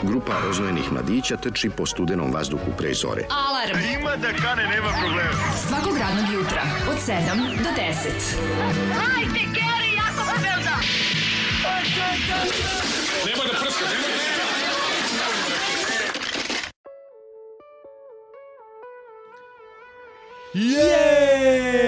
Grupa roznojenih mladića trči po studenom vazduhu pre zore. Alarm! Ima da kane, nema problema. Svakog radnog jutra, od 7 do 10. Hajde, Geri, jako se velda! Nema da prska, nema da prska. Jej!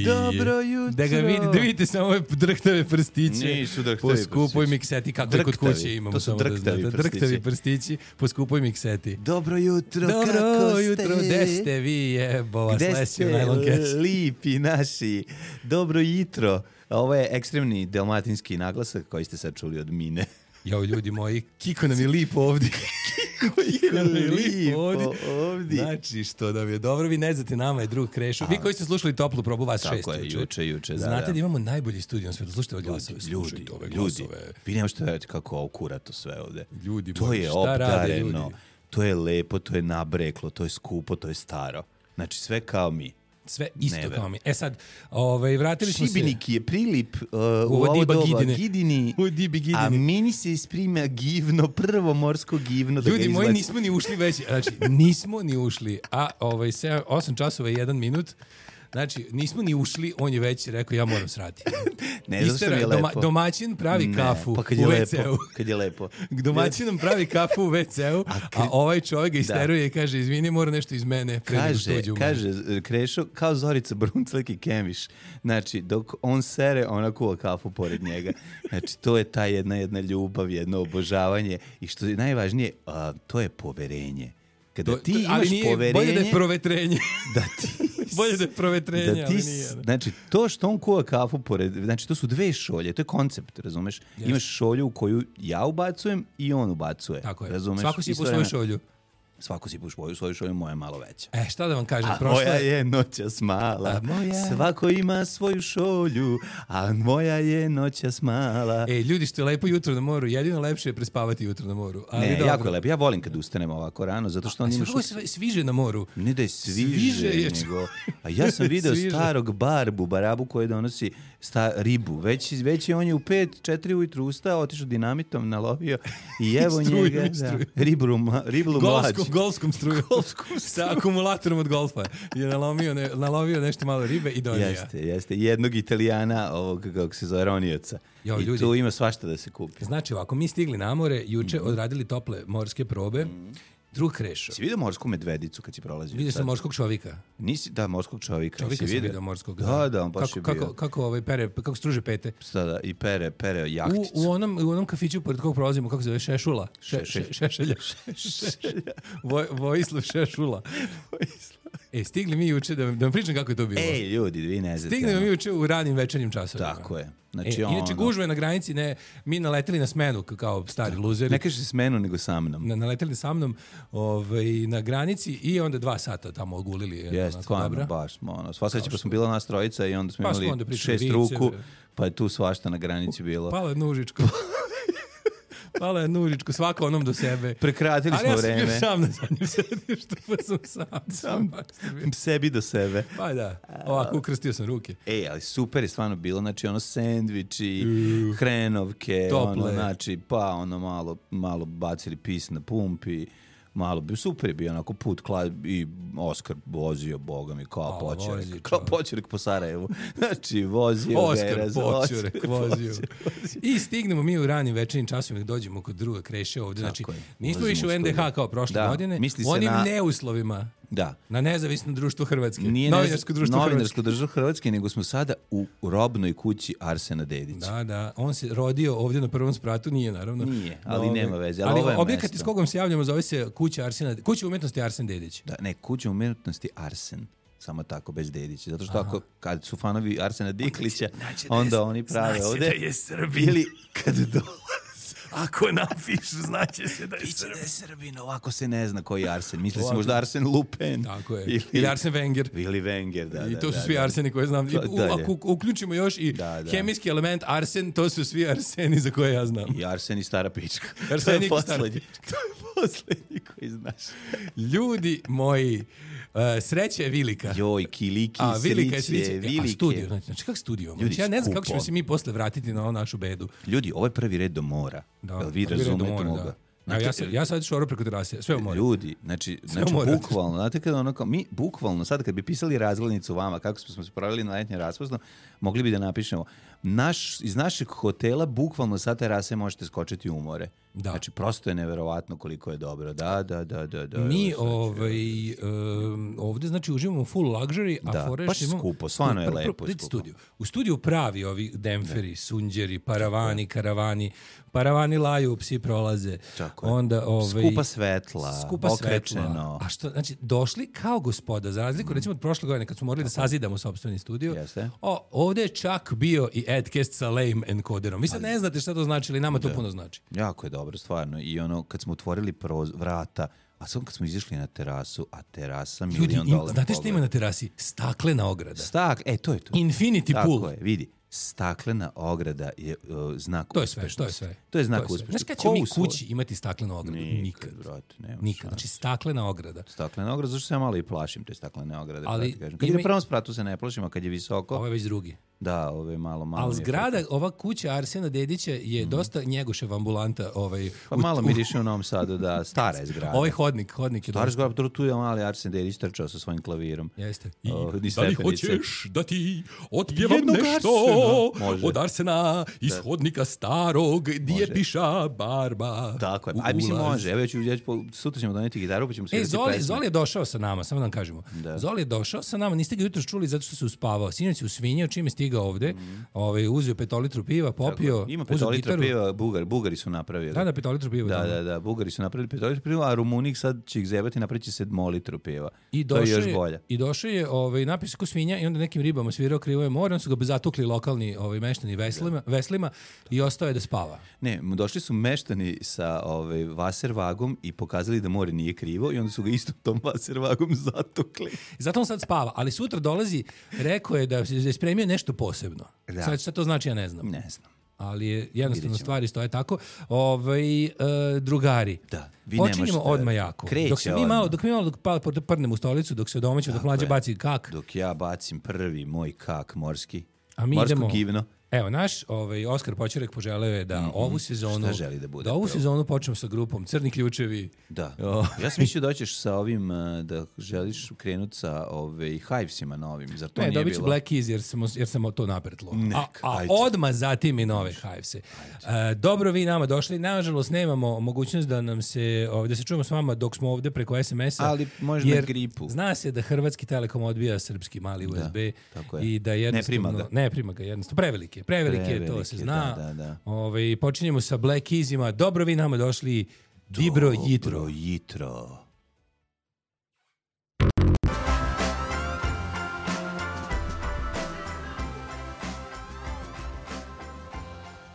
Dobro jutro. Da ga vidite samo ove drhtave prstiće. Nisu drhtavi po skupoj prstići. mikseti, kako je kod kuće imamo. To su samo drhtavi da znate. prstići. Drhtavi prstići po skupoj mikseti. Dobro jutro, Dobro kako jutro, ste? gde ste vi, jebova, Gde slesio ste, najlon kes. lipi naši? Dobro jutro. Ovo je ekstremni dalmatinski naglasak koji ste sad čuli od Mine. Jao, ljudi moji, kiko nam je lipo ovdje. Kiko nam je lipo ovdje. Znači, što nam je dobro, vi ne znate, nama je drug Krešo. Vi koji ste slušali toplu probu, vas šest. Tako je, juče, da. Znate da imamo najbolji studio na svijetu, slušajte ove glasove. Ljudi, vi nema što verujete kako okurato sve ovde. Ljudi to moji, je šta rade ljudi? obdareno, to je lepo, to je nabreklo, to je skupo, to je staro. Znači sve kao mi. Sve isto kao mi. E sad, vratili smo se... Šibenik je prilip u ovo doba Gidini, a meni se isprima givno, prvo morsko givno. Da ljudi moji, nismo ni ušli već, znači nismo ni ušli, a 8 časova i 1 minut, znači nismo ni ušli, on je već rekao ja moram srati. Ne, zato što mi je lepo. Domaćin pravi kafu pa u WC-u. Kad je lepo. Domaćin nam pravi kafu u WC-u, a ovaj čovjek ga isteruje i kaže, izvini, mora nešto iz mene. Kaže, Krešo, kao Zorica Brunclek i Kemiš. Znači, dok on sere, ona kuva kafu pored njega. Znači, to je ta jedna ljubav, jedno obožavanje. I što je najvažnije, to je poverenje. Kada ti imaš poverenje... Bolje da je provetrenje. Da ti... Bolje da je provetrenje, ali nije. Znači, to što on kuva kafu pored... Znači, to su dve šolje, to je koncept, razumeš? Yes. Imaš šolju u koju ja ubacujem i on ubacuje. Tako je. Razumeš? Svako si po svoju šolju. Svako si po svoju šolju, moja je malo veća. Šta da vam kažem? A moja je noćas mala. Svako ima svoju šolju, a moja je noćas mala. Ljudi, što je lepo jutro na moru, jedino lepše je prespavati jutro na moru. Ali ne, jako je lepo. Ja volim kad ustanemo ovako rano, zato što on ima... Kako sviže na moru? Ne da je sviže, nego... A ja sam video starog barabu koji donosi ribu. Već je on je u 5-4 ujutru ustao, otišao dinamitom, nalovio i evo njega... Riblu mlađu. Golfskom struju. Sa akumulatorom od golfa. Je nalovio nešto malo ribe i donio. Jeste. Jednog Italijana, ovog kako se zove Ronioca. I ljudi, tu ima svašta da se kupi. Znači ovako, mi stigli na more, juče odradili tople morske probe. Drug Krešo. Si vidio morsku medvedicu kad si prolazio? Vidio sam morskog čovjeka. Nisi, da, morskog čovjeka. Čovjeka sam vidio morskog. Da, on baš je bio. Kako struže pete. Da, i pere jahticu. U onom kafiću pored kog prolazimo, kako se zove, Šešula. Šešelja. Vojislav Šešula. Stigli mi juče, da vam pričam kako je to bilo. Ljudi, vi ne znate. Stigli mi juče u ranim večernjim časovima. Tako je. Znači, inače gužve na granici, mi naleteli na smenu kao stari luzeri. Ne kaže smenu, nego sa mnom. Naleteli sa mnom na granici i onda 2 sata tamo ogulili. Jeste, stvarno, baš smo. Sva sreća pa smo bila nas trojica i onda smo imali 6 ruku, pa je tu svašta na granici bilo. Pala je nužičko. Pala je nužičko, svako onom do sebe. Prekratili smo vreme. Ali ja sam bio sam na zadnjem sedištu, pa sam sebi do sebe. Pa da, ovako ukrstio sam ruke. Ali super je stvarno bilo, znači sendviči, hrenovke, znači malo bacili pis na pumpi. Super je bio onako put i Oskar vozio, boga mi, kao Poćurek po Sarajevu. Znači, vozio Oskar Poćurek vozio. I stignemo mi u ranim večernjim časovima da dođemo kod druga Kreše ovdje. Znači, nismo više u NDH kao prošle godine, u onim neuslovima. Da. Na Nezavisno društvo Hrvatske. Nije Novinarsko društvo Hrvatske, nego smo sada u robnoj kući Arsena Dedića. Da. On se rodio ovdje na prvom spratu, nije naravno. Nije, ali nema veze. Ali objekat iz kogom se javljamo zove se Kuća umetnosti Arsen Dedić. Da, ne, Kuća umetnosti Arsen. Samo tako, bez Dedića. Zato što kad su fanovi Arsena Diklića, onda oni prave ovdje. Znači da je Srbin. Ili kad dolaze. Ako napišu, znaće se da je Srbin. Da je Srbin, ovako se ne zna koji je Arsen. Misli se možda Arsen Lupin. Tako je. Ili Arsen Wenger. Ili Wenger, da. I to su svi Arseni koje znam. Ako uključimo još i hemijski element Arsen, to su svi Arseni za koje ja znam. I Arsen i stara pička. Arsen i stara pička. To je poslednji koji znaš. Ljudi moji, Sreća je vilika. Joj, kiliki, sriće, vilike. A studio, znači kako studio? Ljudi, ja ne znam kako ćemo se mi posle vratiti na ovu našu bedu. Ljudi, ovo je prvi red do mora. Jel vi razumete moga? Ja sad šoro preko terase, sve u moru. Ljudi, znači bukvalno, znate kada ono kao, mi bukvalno, sad kad bi pisali razglednicu vama, kako smo se pravili na letnje raspusno, mogli bi da napišemo, iz našeg hotela bukvalno sa terase možete skočiti u more. Da. Znači, prosto je neverovatno koliko je dobro. Da. Mi ovde, znači, uživamo full luxury, a foreš baš skupo, stvarno je lepo skupo. U studiju pravi ovi demferi, sunđeri, karavani, paravani laju, psi prolaze. Onda, skupa svetla, okrečeno. A što, znači, došli kao gospoda, za razliku, recimo od prošle godine, kad smo morali da sazidamo sopstveni studio, ovde je čak bio i Adcast sa lame encoderom. Vi sad ne znate šta to znači, ali nama to puno znači. Jako je dobro, stvarno. I ono, kad smo otvorili vrata, a sad kad smo izišli na terasu, a terasa $1.000.000. Znate šta ima na terasi? Staklena ograda. To je to. Infinity pool. Tako je, vidi. Staklena ograda je znak uspešnosti. To je sve. To je znak uspešnosti. Znaš kada ćemo mi kući imati staklenu ogradu? Nikad. Nikad. Znači staklena ograda. Staklena ograda, zašto se ja malo i plašim te staklene ograde. Ali kad je na prvom spratu se ne plašim, a kad je visoko... Ovo je već drugi. Da, ovo je malo... Ali zgrada, ova kuća Arsena Dedića je dosta Njegošev ambulanta. Pa malo miriše u Novom Sadu, da, stara je zgrada. Ovaj hodnik je stara zgrada, tu je mali Arsen Dedić trčao sa svojim klavirom. Jeste. Da li hoćeš da ti otpjevam nešto od Arsena iz hodnika starog, gdje je piša barba. Tako je. Aj, mislim, može. Evo, sutra ćemo doneti gitaru, pa ćemo se Zoli je došao sa nama, samo da vam kažemo. Zoli je došao sa nama, niste ga jutros čuli zato što se uspavao. Sinoć se usvinjao, čime stigao ovde, uzeo 5 litru piva, popio, ima 5 litru piva, Bugari su napravili. Da, 5 litru piva. Da, Bugari su napravili 5 litru piva, a Rumunik sad će ih zebati, napravit će 7 litru piva. To je još bolje. I došao je, napio se ko svinja i onda nekim ribama svirao Krivo je more, onda su ga zatukli lokalni meštani veslima i ostao je da spava. Ne, došli su meštani sa Wasserwagom i pokazali da more nije krivo i onda su ga istom tom Wasserwagom zatukli. Zato on sad spava, ali sutra dolazi, rekao je da je spremio nešto posebno. Sad šta to znači, ja ne znam. Ne znam. Ali je jednostavno stvari stoje tako. Drugari. Da. Počinjemo odmah jako. Dok mi malo prdnemo u stolicu, dok se odomaćemo, dok mlađe baci kak. Dok ja bacim prvi moj kak morski. A mi morsko idemo, givno. Evo, naš Oskar Počerek poželeo je da ovu sezonu, sezonu počnemo sa grupom Crni ključevi. Da. Ja sam mislio da ćeš sa ovim, da želiš krenuti sa Hivesima novim. Zar to nije bilo? Dobit ću Black Keys jer sam to napretlo. A odmah zatim i nove Hivese. Dobro vi nama došli. Nažalost, nemamo mogućnost da nam se, da se čujemo s vama dok smo ovde preko SMS-a. Ali možda na gripu. Zna se da Hrvatski Telekom odbija srpski mali USB. I da jednostavno... Ne prima ga jednostavno. Prevelike, to se zna. Da. Počinjemo sa Black Keysima. Dobro vi nama došli. Dobro jutro.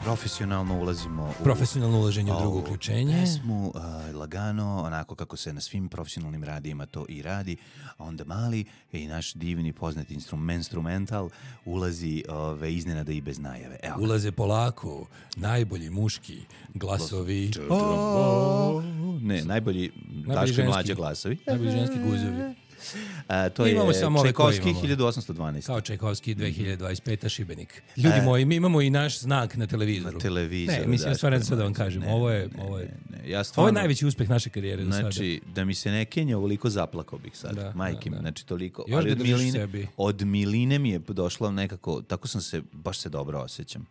Profesionalno ulazimo profesionalno ulaženje u drugo uključenje. Pesmu lagano, onako kako se na svim profesionalnim radijima to i radi. A onda mali i naš divni poznati instrumental ulazi iznenada i bez najave. Evo. Ulaze polako najbolji muški glasovi. Ne, najbolji Daško i Mlađa glasovi. Najbolji ženski guzovi. To je Čajkovski 1812. Kao Čajkovski 2025. Šibenik. Ljudi moji, mi imamo i naš znak na televizoru. Ne, mislim, stvarno sad da vam kažem. Ovo je najveći uspeh naše karijere do sada. Znači, da mi se ne kenja, ovoliko zaplakao bih sad. Majke mi, znači toliko. Još ali od miline mi je došlo nekako, tako sam se, baš se dobro osjećam.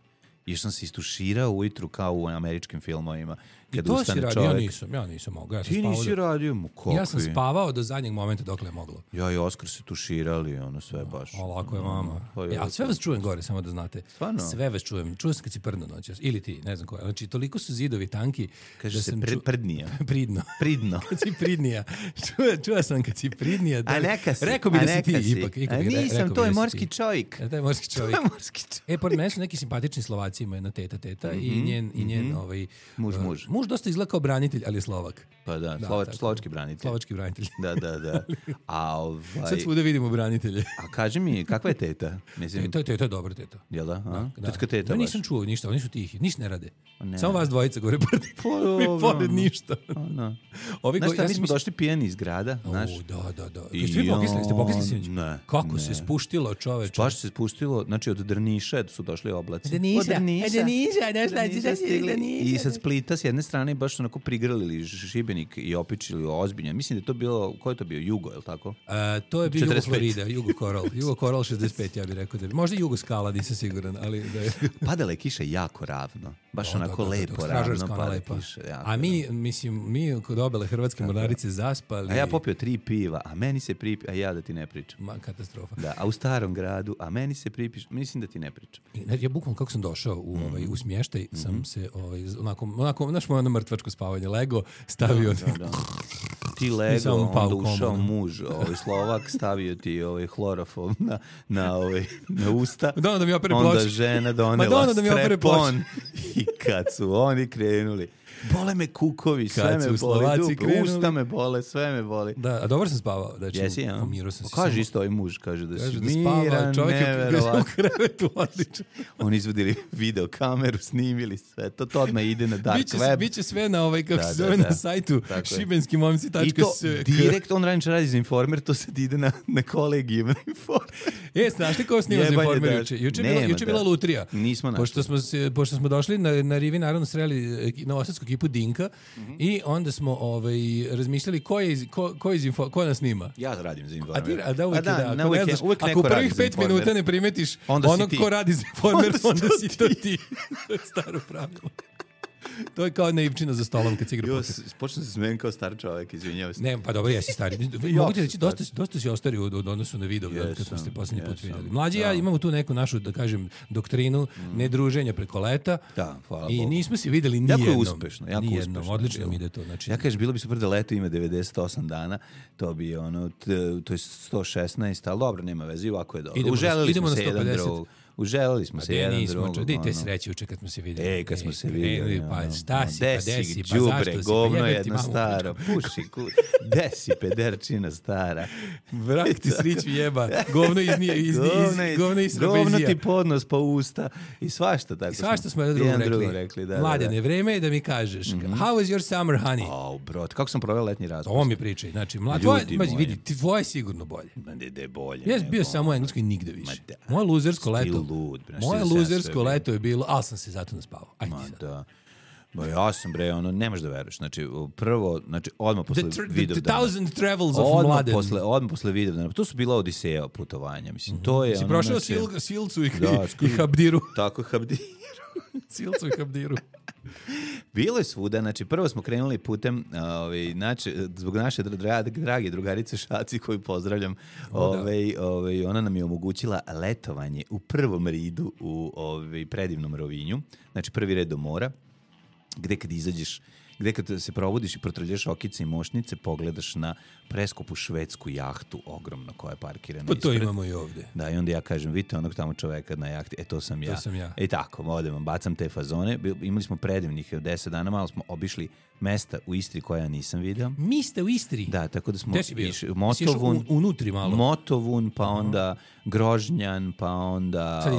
Još sam se istuširao ujutru kao u američkim filmovima. I to si radio, ja nisam mogao. Ti nisi radio, ja sam spavao do zadnjeg momenta dokle je moglo. Ja i Oskar se tuširali, sve baš. Lako je mama. Ja sve vas čujem gore, samo da znate. Stvarno? Sve vas čujem. Čujem se kad si prdno noćas. Ili ti, ne znam koja. Znači, toliko su zidovi tanki. Kaže da se prdnija. Pridno. Kad si pridnija. Čuo sam kad si pridnija. A neka si. Rekao bi da si ti ipak. A nisam, to je morski čovjek. To je morski čovjek. Pored mene su neki simpatični Slovaci. generaciji ima jedna teta i njen muž dosta izgleda kao branitelj, ali je Slovak. Pa da, slovački branitelj. Slovački branitelj. Da. Sad svuda vidimo branitelje. A kaži mi, kakva je teta? Mislim, Teta je dobra teta. Jel da? Da. Teta Ja nisam čuo ništa, oni su tihi, ništa ne rade. Samo vas dvojica gore pored ništa. Znaš mi smo došli pijeni iz grada, znaš? Da. Ste pokisli sinoć? Ne. Kako se spuštilo, čoveče? Baš se spustilo, znači od Drniša su došli oblaci. I sa Splita s jedne strane baš su onako prigrlili Šibenik i opičili ozbiljno. Mislim da je to bilo, ko je to bio? Jugo, je li tako? To je bio Jugo Florida, Jugo Coral. Jugo Coral 65, ja bih rekao da bi. Možda Jugo Skala, nisam siguran, ali da je... Padala je kiša jako ravno. Baš onako lepo ravno pada kiša. A mi kod obele hrvatske mornarice zaspali. A ja popio 3 piva, a meni se a ja da ti ne pričam. Katastrofa. Da, a u starom gradu, a meni se mislim da ti ne pričam. Ja bukvalno kako sam došao u smještaj, sam se onako znaš moje mrtvačko spavanje, lego, stavio... Da. Ti lego, onda ušao muž, Slovak, stavio ti hlorofol na usta, da mi opere onda ploče. Žena donela strepon i kad su oni krenuli, bole me kukovi, sve me boli, usta me bole, sve me boli. Da, a dobro sam spavao. Jesi, ja? Kaže isto ovaj muž, kaže da si miran, neverovatno. U krevetu, odlično. Oni izvodili video kameru, snimili sve, to odmah ide na dark web. Biće sve na kako se zove na sajtu šibenskimomci.s. I to direkt, on radi za Informer, to sad ide na kolegijum na Informer. Znaš li ko snima za Informer juče? Juče je bila lutrija. Nismo našli. Pošto smo došli na Rivi, naravno sreli novosadsku ekipu Dinka i onda smo razmišljali ko nas snima. Ja radim za Informer. Ako u prvih 5 minuta ne primetiš onog ko radi za Informer, onda si to ti. To je staro pravilo. To je kao naivčina za stolom kad se igra poker. Počnem se smijem kao star čovjek, izvinjavam se. Ne, pa dobro, jesi stari. Mogu ti reći, dosta si ostario u odnosu na video kad smo se posljednji put vidjeli. Mlađi ja imamo tu neku našu, da kažem, doktrinu nedruženja preko leta. Da, hvala I Bogu. nismo se videli nijednom. Jako uspešno. Odlično mi ide to. Znači, ja kažem, bilo bi super da leto ima 98 dana, to bi to je 116, ali dobro, nema veze, ovako je dobro. Uželili smo se jedan drugog. Uželili smo se jedan drugog. Dite sreće uče kad smo se vidjeli. Kad smo se vidjeli. Pa šta si, pa desi, pa džubre, zašto si? govno jedno staro. Puši, desi, pederčina stara. Vrak ti srić jeba. Govno iz Govno ti podnos pa usta. I svašta tako. Svašta smo jedan drugom rekli. Mladene, vreme je da mi kažeš. How was your summer, honey? Brot, kako sam proveo letnji razgovor? Ovo mi pričaj. Znači, vidi, tvoje je sigurno bolje. Da je bolje. Ja sam bio samo u Engleskoj nigde više. Moje luzersko leto. Moje luzersko leto je bilo, ali sam se zato naspavao. Ajde sad. Da. Ja sam nemaš da veruješ. Znači, prvo, odmah posle Vidovdana. The Thousand Travels of Mladen. Odmah posle Vidovdana. To su bila odiseja putovanja. Mislim, to je... Si prošao Silcu i Habdiru. Tako, Habdiru. Silcu i Habdiru. Bilo je svuda, znači prvo smo krenuli putem, zbog naše drage drugarice Šaci koju pozdravljam, ona nam je omogućila letovanje u prvom ridu u predivnom Rovinju, znači prvi red do mora, gde kad izađeš, gde kad se probudiš i protrljaš okice i mošnice, pogledaš na preskupu švedsku jahtu, ogromno, koja je parkirana ispred. Pa to imamo i ovde. Da, i onda ja kažem, vidite onog tamo čoveka na jahti, to sam ja. I tako, odem, bacam te fazone. Imali smo predivnih 10 dana, malo smo obišli mesta u Istri koja nisam vidio. Mi ste u Istri? Da, tako da smo išli Motovun, unutri malo. Motovun, pa onda Grožnjan, pa onda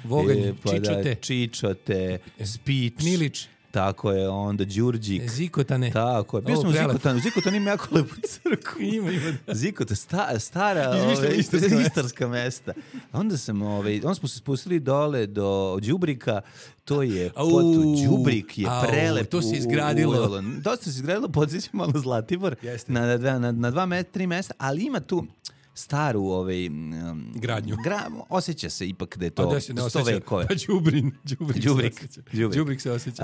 Voganj, Čičote, Spič, Milić. Tako je, onda Đurđik. Zikotane. Tako je. Bio sam u Zikotanu. Zikotan ima jako lepu crkvu. Ima. Zikotan, stara istarska mesta. Onda smo se spustili dole do Đubrika. To je Đubrik je prelep. To se izgradilo. Dosta se izgradilo, podsjećam malo Zlatibor. Na 2-3 mesta, ali ima tu staru gradnju. Osjeća se ipak da je to 100 vekove. Pa Đubrik se osjeća.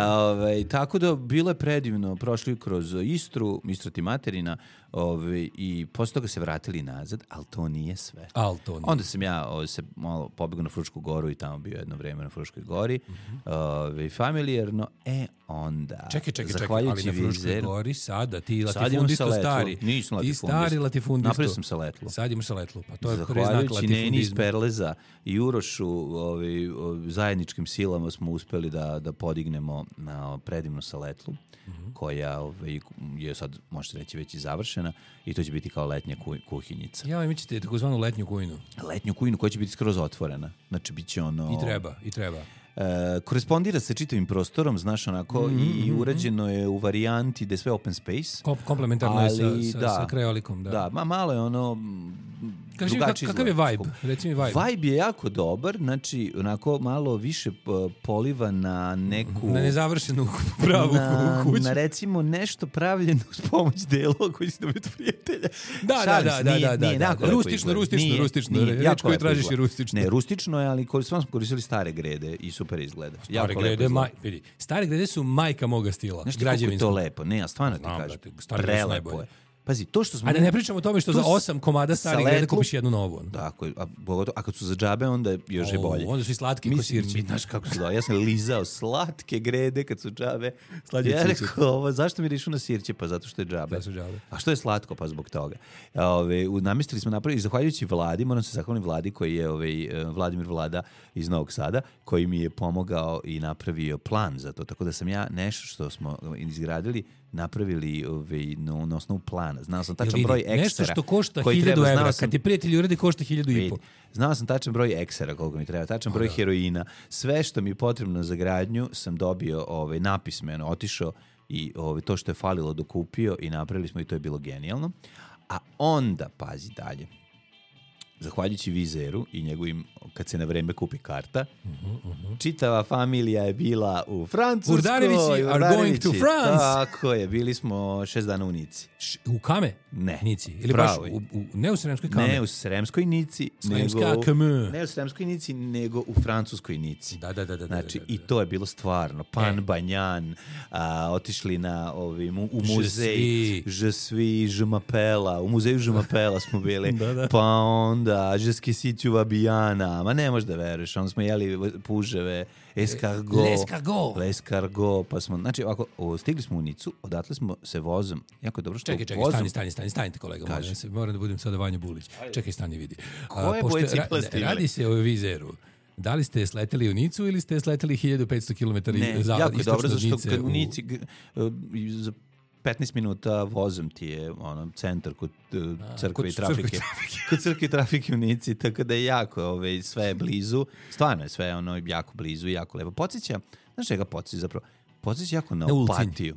Tako da bilo je predivno. Prošli kroz Istru, Istra ti materina, i posle toga se vratili nazad, ali to nije sve. Onda sam ja se malo pobegao na Frušku goru i tamo bio jedno vreme na Fruškoj gori. Familijarno. Onda... Čekaj, ali na Fruškoj gori sada ti latifundisto stari. Nisam latifundist. Ti stari latifundisto. Napravio sam sa letlo. Sad imaš saletlu. Pa to je preznak latifundizma. Neni iz Perleza i Urošu zajedničkim silama smo uspeli da podignemo na predivnu saletlu, koja je sad, možete reći, već i završena i to će biti kao letnja kuhinjica. Ja, mi ćete takozvanu letnju kujinu. Letnju kujinu koja će biti skroz otvorena. Znači, bit će ono... I treba. Korespondira sa čitavim prostorom, znaš, onako, i urađeno je u varijanti da je sve open space. Komplementarno je sa krajolikom, da. Da, malo je ono... drugačiji kakav je vibe? Reci mi vibe. Vibe je jako dobar, znači, onako, malo više poliva na neku... Na nezavršenu pravu kuću. Na, recimo, nešto pravljeno uz pomoć delova koji si dobiti prijatelja. Da. Rustično. Reč koju tražiš je rustično. Ne, rustično je, ali smo koristili stare grede i super izgleda. Stare grede su majka moga stila. Znaš ti kako je to lepo? Ne, ja stvarno ti kažem. Prelepo je. Pazi, to što smo... A da ne pričamo o tome što za 8 komada starih grede kupiš jednu novu. Tako, a kad su za džabe, onda još je bolje. Onda su i slatki ko sirći. Znaš kako su da, ja sam lizao slatke grede kad su džabe. Ja rekao, zašto mi rešu na sirće? Pa zato što je džabe. A što je slatko? Pa zbog toga. Namestili smo napraviti, zahvaljujući Vladi, moram se zahvaliti Vladi koji je Vladimir Vlada iz Novog Sada, koji mi je pomogao i napravio plan za to. Tako da sam ja nešto što smo izgradili napravili na osnovu plana. Znao sam tačan broj eksera. Nešto što košta 1000 evra, kad ti prijatelji uredi košta 1500. Znao sam tačan broj eksera koliko mi treba, tačan broj heroina. Sve što mi je potrebno za gradnju sam dobio napismeno, otišao i to što je falilo dokupio i napravili smo i to je bilo genijalno. A onda, pazi dalje, zahvaljujući Vizeru i njegovim, kad se na vreme kupi karta, čitava familija je bila u Francuskoj. Urdarivići are going to France. Tako je, bili smo 6 dana u Nici. U Kame? Ne. Nici. Ili baš ne u Sremskoj Kame? Ne u Sremskoj Nici. Ne u Sremskoj Nici, nego u Francuskoj Nici. Da. Znači, i to je bilo stvarno. Pan Banjan, otišli u muzej Je suis, je m'appelle. U muzeju Je m'appelle smo bili. Pa onda, je suis tu Vabijana. Ma ne možeš da veruješ. Onda smo jeli puževe, l'escargot. Pa smo, znači, ovako, stigli smo u Nicu, odatle smo se vozom. Jako je dobro što Stanite kolega. Moram da budem sada Vanja Bulić. Čekaj, stani vidi. Koje boje cipele ste imali? Radi se o Vizeru. Da li ste sleteli u Nicu ili ste sleteli 1500 km jako je dobro, zašto kad u Nici za 15 minuta vozom ti je centar kod crkve i trafike. Kod crkve i trafike u Nici, tako da je jako, sve je blizu. Stvarno je sve jako blizu i jako lepo. Podsjeća, znaš čega podsjeća zapravo? Podsjeća jako na Opatiju.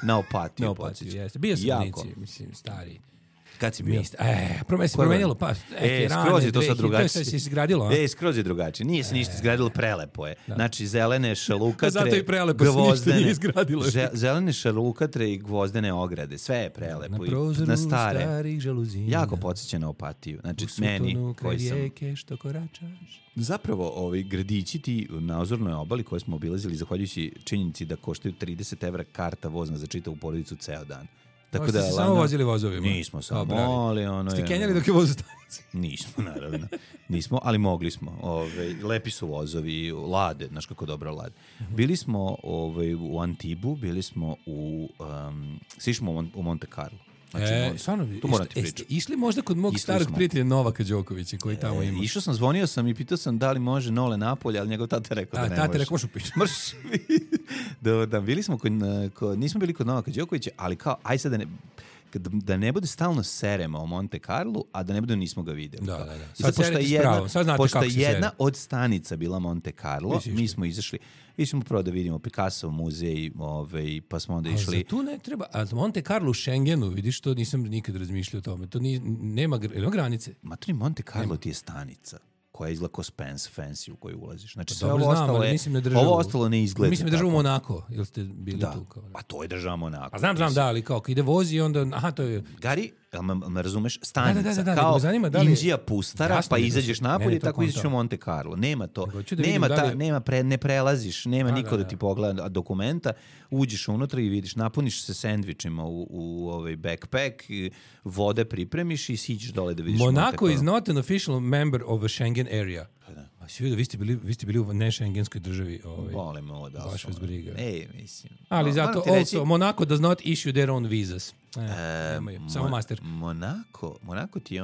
Na Opatiju podsjeća. Bio sam u Nici, mislim, stari. Kad si bio? Promenilo, pa skroz je to sad drugačije. To se izgradilo, a? Skroz je drugačije. Nije se ništa izgradilo, prelepo je. Znači, zelene šalukatre, zato i prelepo se ništa nije izgradilo. Zelene šalukatre i gvozdene ograde. Sve je prelepo. Na prozoru starih žaluzina. Jako podsjeća na Opatiju. Znači, meni koji sam... rijeke što koračaš. Zapravo, ovi gradići ti na Ozornoj obali koje smo obilazili, zahvaljujući činjenici da koštaju 30 evra karta vozna za čitavu porodicu ceo dan. Tako da, ste samo vozili vozovima? Nismo samo, ali ste kenjali dok je voz u stanici? Nismo, naravno. Nismo, ali mogli smo. Lepi su vozovi, lade, znaš kako dobro lade. Bili smo u Antibu, bili smo svi smo u Monte Carlo. Znači, stvarno, jeste išli možda kod mog starog prijatelja Novaka Đokovića koji tamo ima? Išao sam, zvonio sam i pitao sam da li može Nole napolje, ali njegov tata rekao da ne može. Tata rekao, možeš upići. Da, bili smo nismo bili kod Novaka Đokovića, ali kao, aj sad da ne bude stalno serema o Monte Carlo, a da ne bude nismo ga videli. Da. Pošto je jedna od stanica bila Monte Carlo, mi smo izašli. Išli prvo da vidimo Picasso muzej, pa smo onda išli... A tu ne treba... A Monte Carlo u Schengenu, vidiš, to nisam nikad razmišljao o tome. To nema granice. Ma to ni Monte Carlo ti je stanica koja izgleda ko Spence Fancy u koju ulaziš. Znači, sve dobro, ovo ostalo ne izgleda. Mislim da država Monako, ili ste bili tu? Kao, pa to je država Monako. Pa znam, da, ali kao ide vozi i onda... Aha, to je... Gari, me razumeš, stanica. Da, kao li... Indija pustara, pa izađeš napolje i tako izađeš u Monte Carlo. Nema to. Ne prelaziš, nema niko da ti pogleda dokumenta. Uđeš unutra i vidiš, napuniš se sendvičima u backpack, vode pripremiš i siđeš dole da vidiš Monte Carlo. Monaco is not an official member of a Schengen area. Vi ste bili u nešengenskoj državi. Volimo da. Baš vas briga. Mislim. Ali zato also, Monaco does not issue their own visas. Samo master. Monaco ti je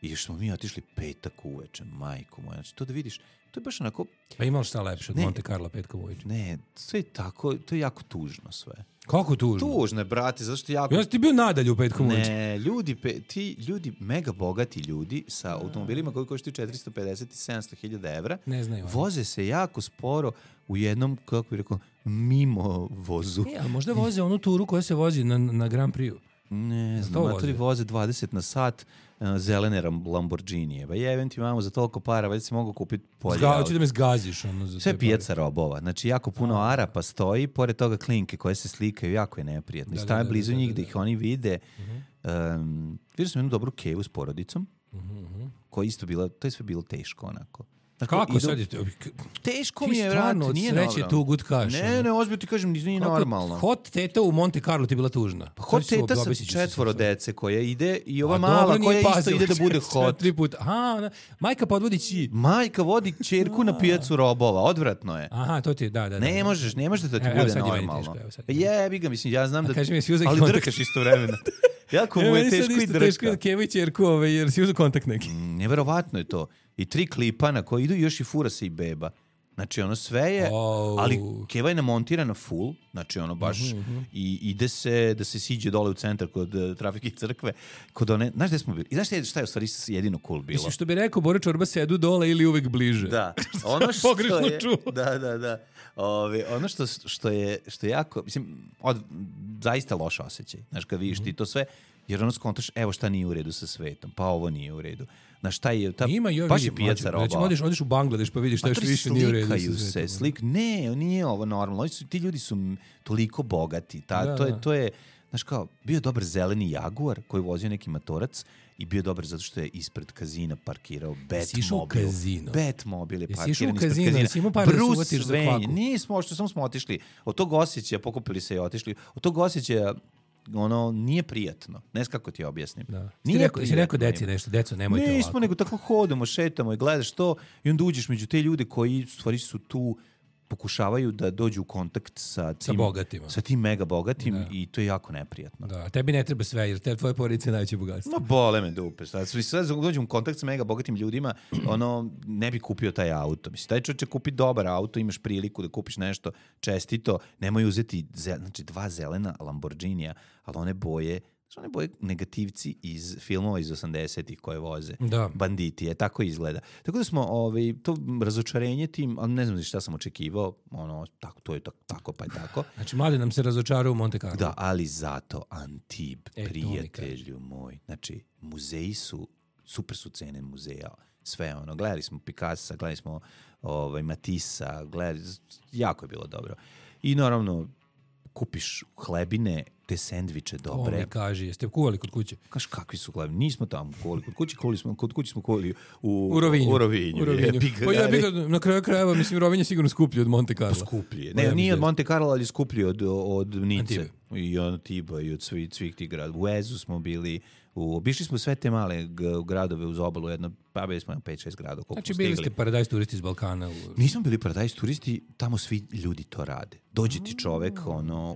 I još smo mi otišli petak uveče, majko moja. Znači, to da vidiš, to je baš onako... Pa imalo šta lepše od Monte Carlo petkom uveče? Ne, sve je tako, to je jako tužno sve. Kako tužno? Tužno je, brate, zato što jako... Ja sam ti bio nadalje u petkom uveče. Ne, ti ljudi, mega bogati ljudi sa automobilima koji koštaju 450 i 700 hiljada evra, ne znaju, voze se jako sporo u jednom, kako bih rekao, mimo vozu. A možda voze onu turu koja se vozi na Grand Prix-u. Ne znam, matori voze 20 na sat zelene Lamborghinije. Ba jevem ti mamo za toliko para, već si mogu kupiti polje. Hoću da me zgaziš. Ono, za sve pijaca robova. Znači, jako puno Arapa stoji, pored toga klinke koje se slikaju, jako je neprijatno. I staje blizu njih da ih oni vide. Vidio sam jednu dobru kevu s porodicom, koja isto bila, to je sve bilo teško onako. Dakle, kako sad je? Teško mi je, vrat, nije normalno. Sreće tu gutkaš. Ne, ozbiljno ti kažem, nije normalno. Hot teta u Monte Carlo ti bila tužna. Hot teta sa 4 dece koja ide i ova mala koja isto ide da bude hot. 3 puta. Aha, majka podvodi Majka vodi ćerku na pijacu robova, odvratno je. Aha, to ti je, da. Ne možeš da ti bude normalno. Jebi ga, mislim, ja znam da... Ali drkaš istovremeno. Jako mu je teško i drka. Teško je Keva i ćerku, jer si uzeo kontakt neki. Neverovatno je to. I 3 klipa na koji idu još i fura se i beba. Znači ono sve je, ali Keva je namontirana full, znači ono baš i ide se da se siđe dole u centar kod trafike crkve, kod one, znaš gde smo bili? I znaš šta je u stvari jedino cool bilo? Mislim što bi rekao Bora Čorba, sedu dole ili uvek bliže. Da, ono što je... Da. Ono što je jako, mislim, zaista loš osjećaj, znaš kad vidiš ti to sve, jer ono skontaš, evo šta nije u redu sa svetom, pa ovo nije u redu. Na šta je ta baš je pijaca roba. Znači odiš u Bangladeš pa vidiš šta još više nije u redu. Slikaju se, ne, nije ovo normalno. Ti ljudi su toliko bogati. To je, znaš kao, bio dobar zeleni Jaguar koji vozio neki matorac i bio dobar zato što je ispred kazina parkirao Batmobil je parkiran ispred kazina. Jesi imao par da se uvatiš za kvaku? Nismo, samo smo otišli. Od tog osjećaja pokupili se i otišli. Od tog osjećaja ono nije prijatno. Ne znam kako ti objasnim. Da. Si rekao deci nešto, deco, nemojte ovako. Nismo, nego tako hodamo, šetamo i gledaš to i onda uđeš među te ljude koji u stvari su tu, pokušavaju da dođu u kontakt sa tim mega bogatim i to je jako neprijatno. Da, a tebi ne treba sve, jer tvoje porodice je najveće bogatstvo. No, bole me dupe. Sad dođem u kontakt sa mega bogatim ljudima, ne bi kupio taj auto. Mislim, taj čovjek će kupiti dobar auto, imaš priliku da kupiš nešto čestito, nemoj uzeti 2 zelena Lamborghinija, ali one boje negativci iz filmova iz 80-ih koje voze. Da. Banditi, tako izgleda. Tako da smo to razočarenje tim, ali ne znam šta sam očekivao, to je tako pa je tako. Znači, mladi nam se razočarao u Monte Carlo. Da, ali zato Antib, prijatelju moj. Znači, muzeji super su cene muzeja. Sve gledali smo Picassa, gledali smo Matissa, jako je bilo dobro. I naravno, kupiš hlebine, te sendviče dobre. O, mi kaži, jeste kuvali kod kuće? Kaš, kakvi su hlebine? Nismo tamo kuvali kod kuće, kod kuće smo kuvali u Rovinju. Pa ja bih na kraju krajeva, mislim, Rovinj je sigurno skuplji od Monte Carlo. Skuplji. Ne, nije od Monte Carlo, ali skuplji od Nice. I od Antiba i od svih tih gradova. U Ezu smo bili, obišli smo sve te male gradove uz obalu, pa bili smo 5-6 gradova. Znači bili ste paradajz turisti iz Balkana? Nismo bili paradajz turisti, tamo svi ljudi to rade. Dođe ti čovek,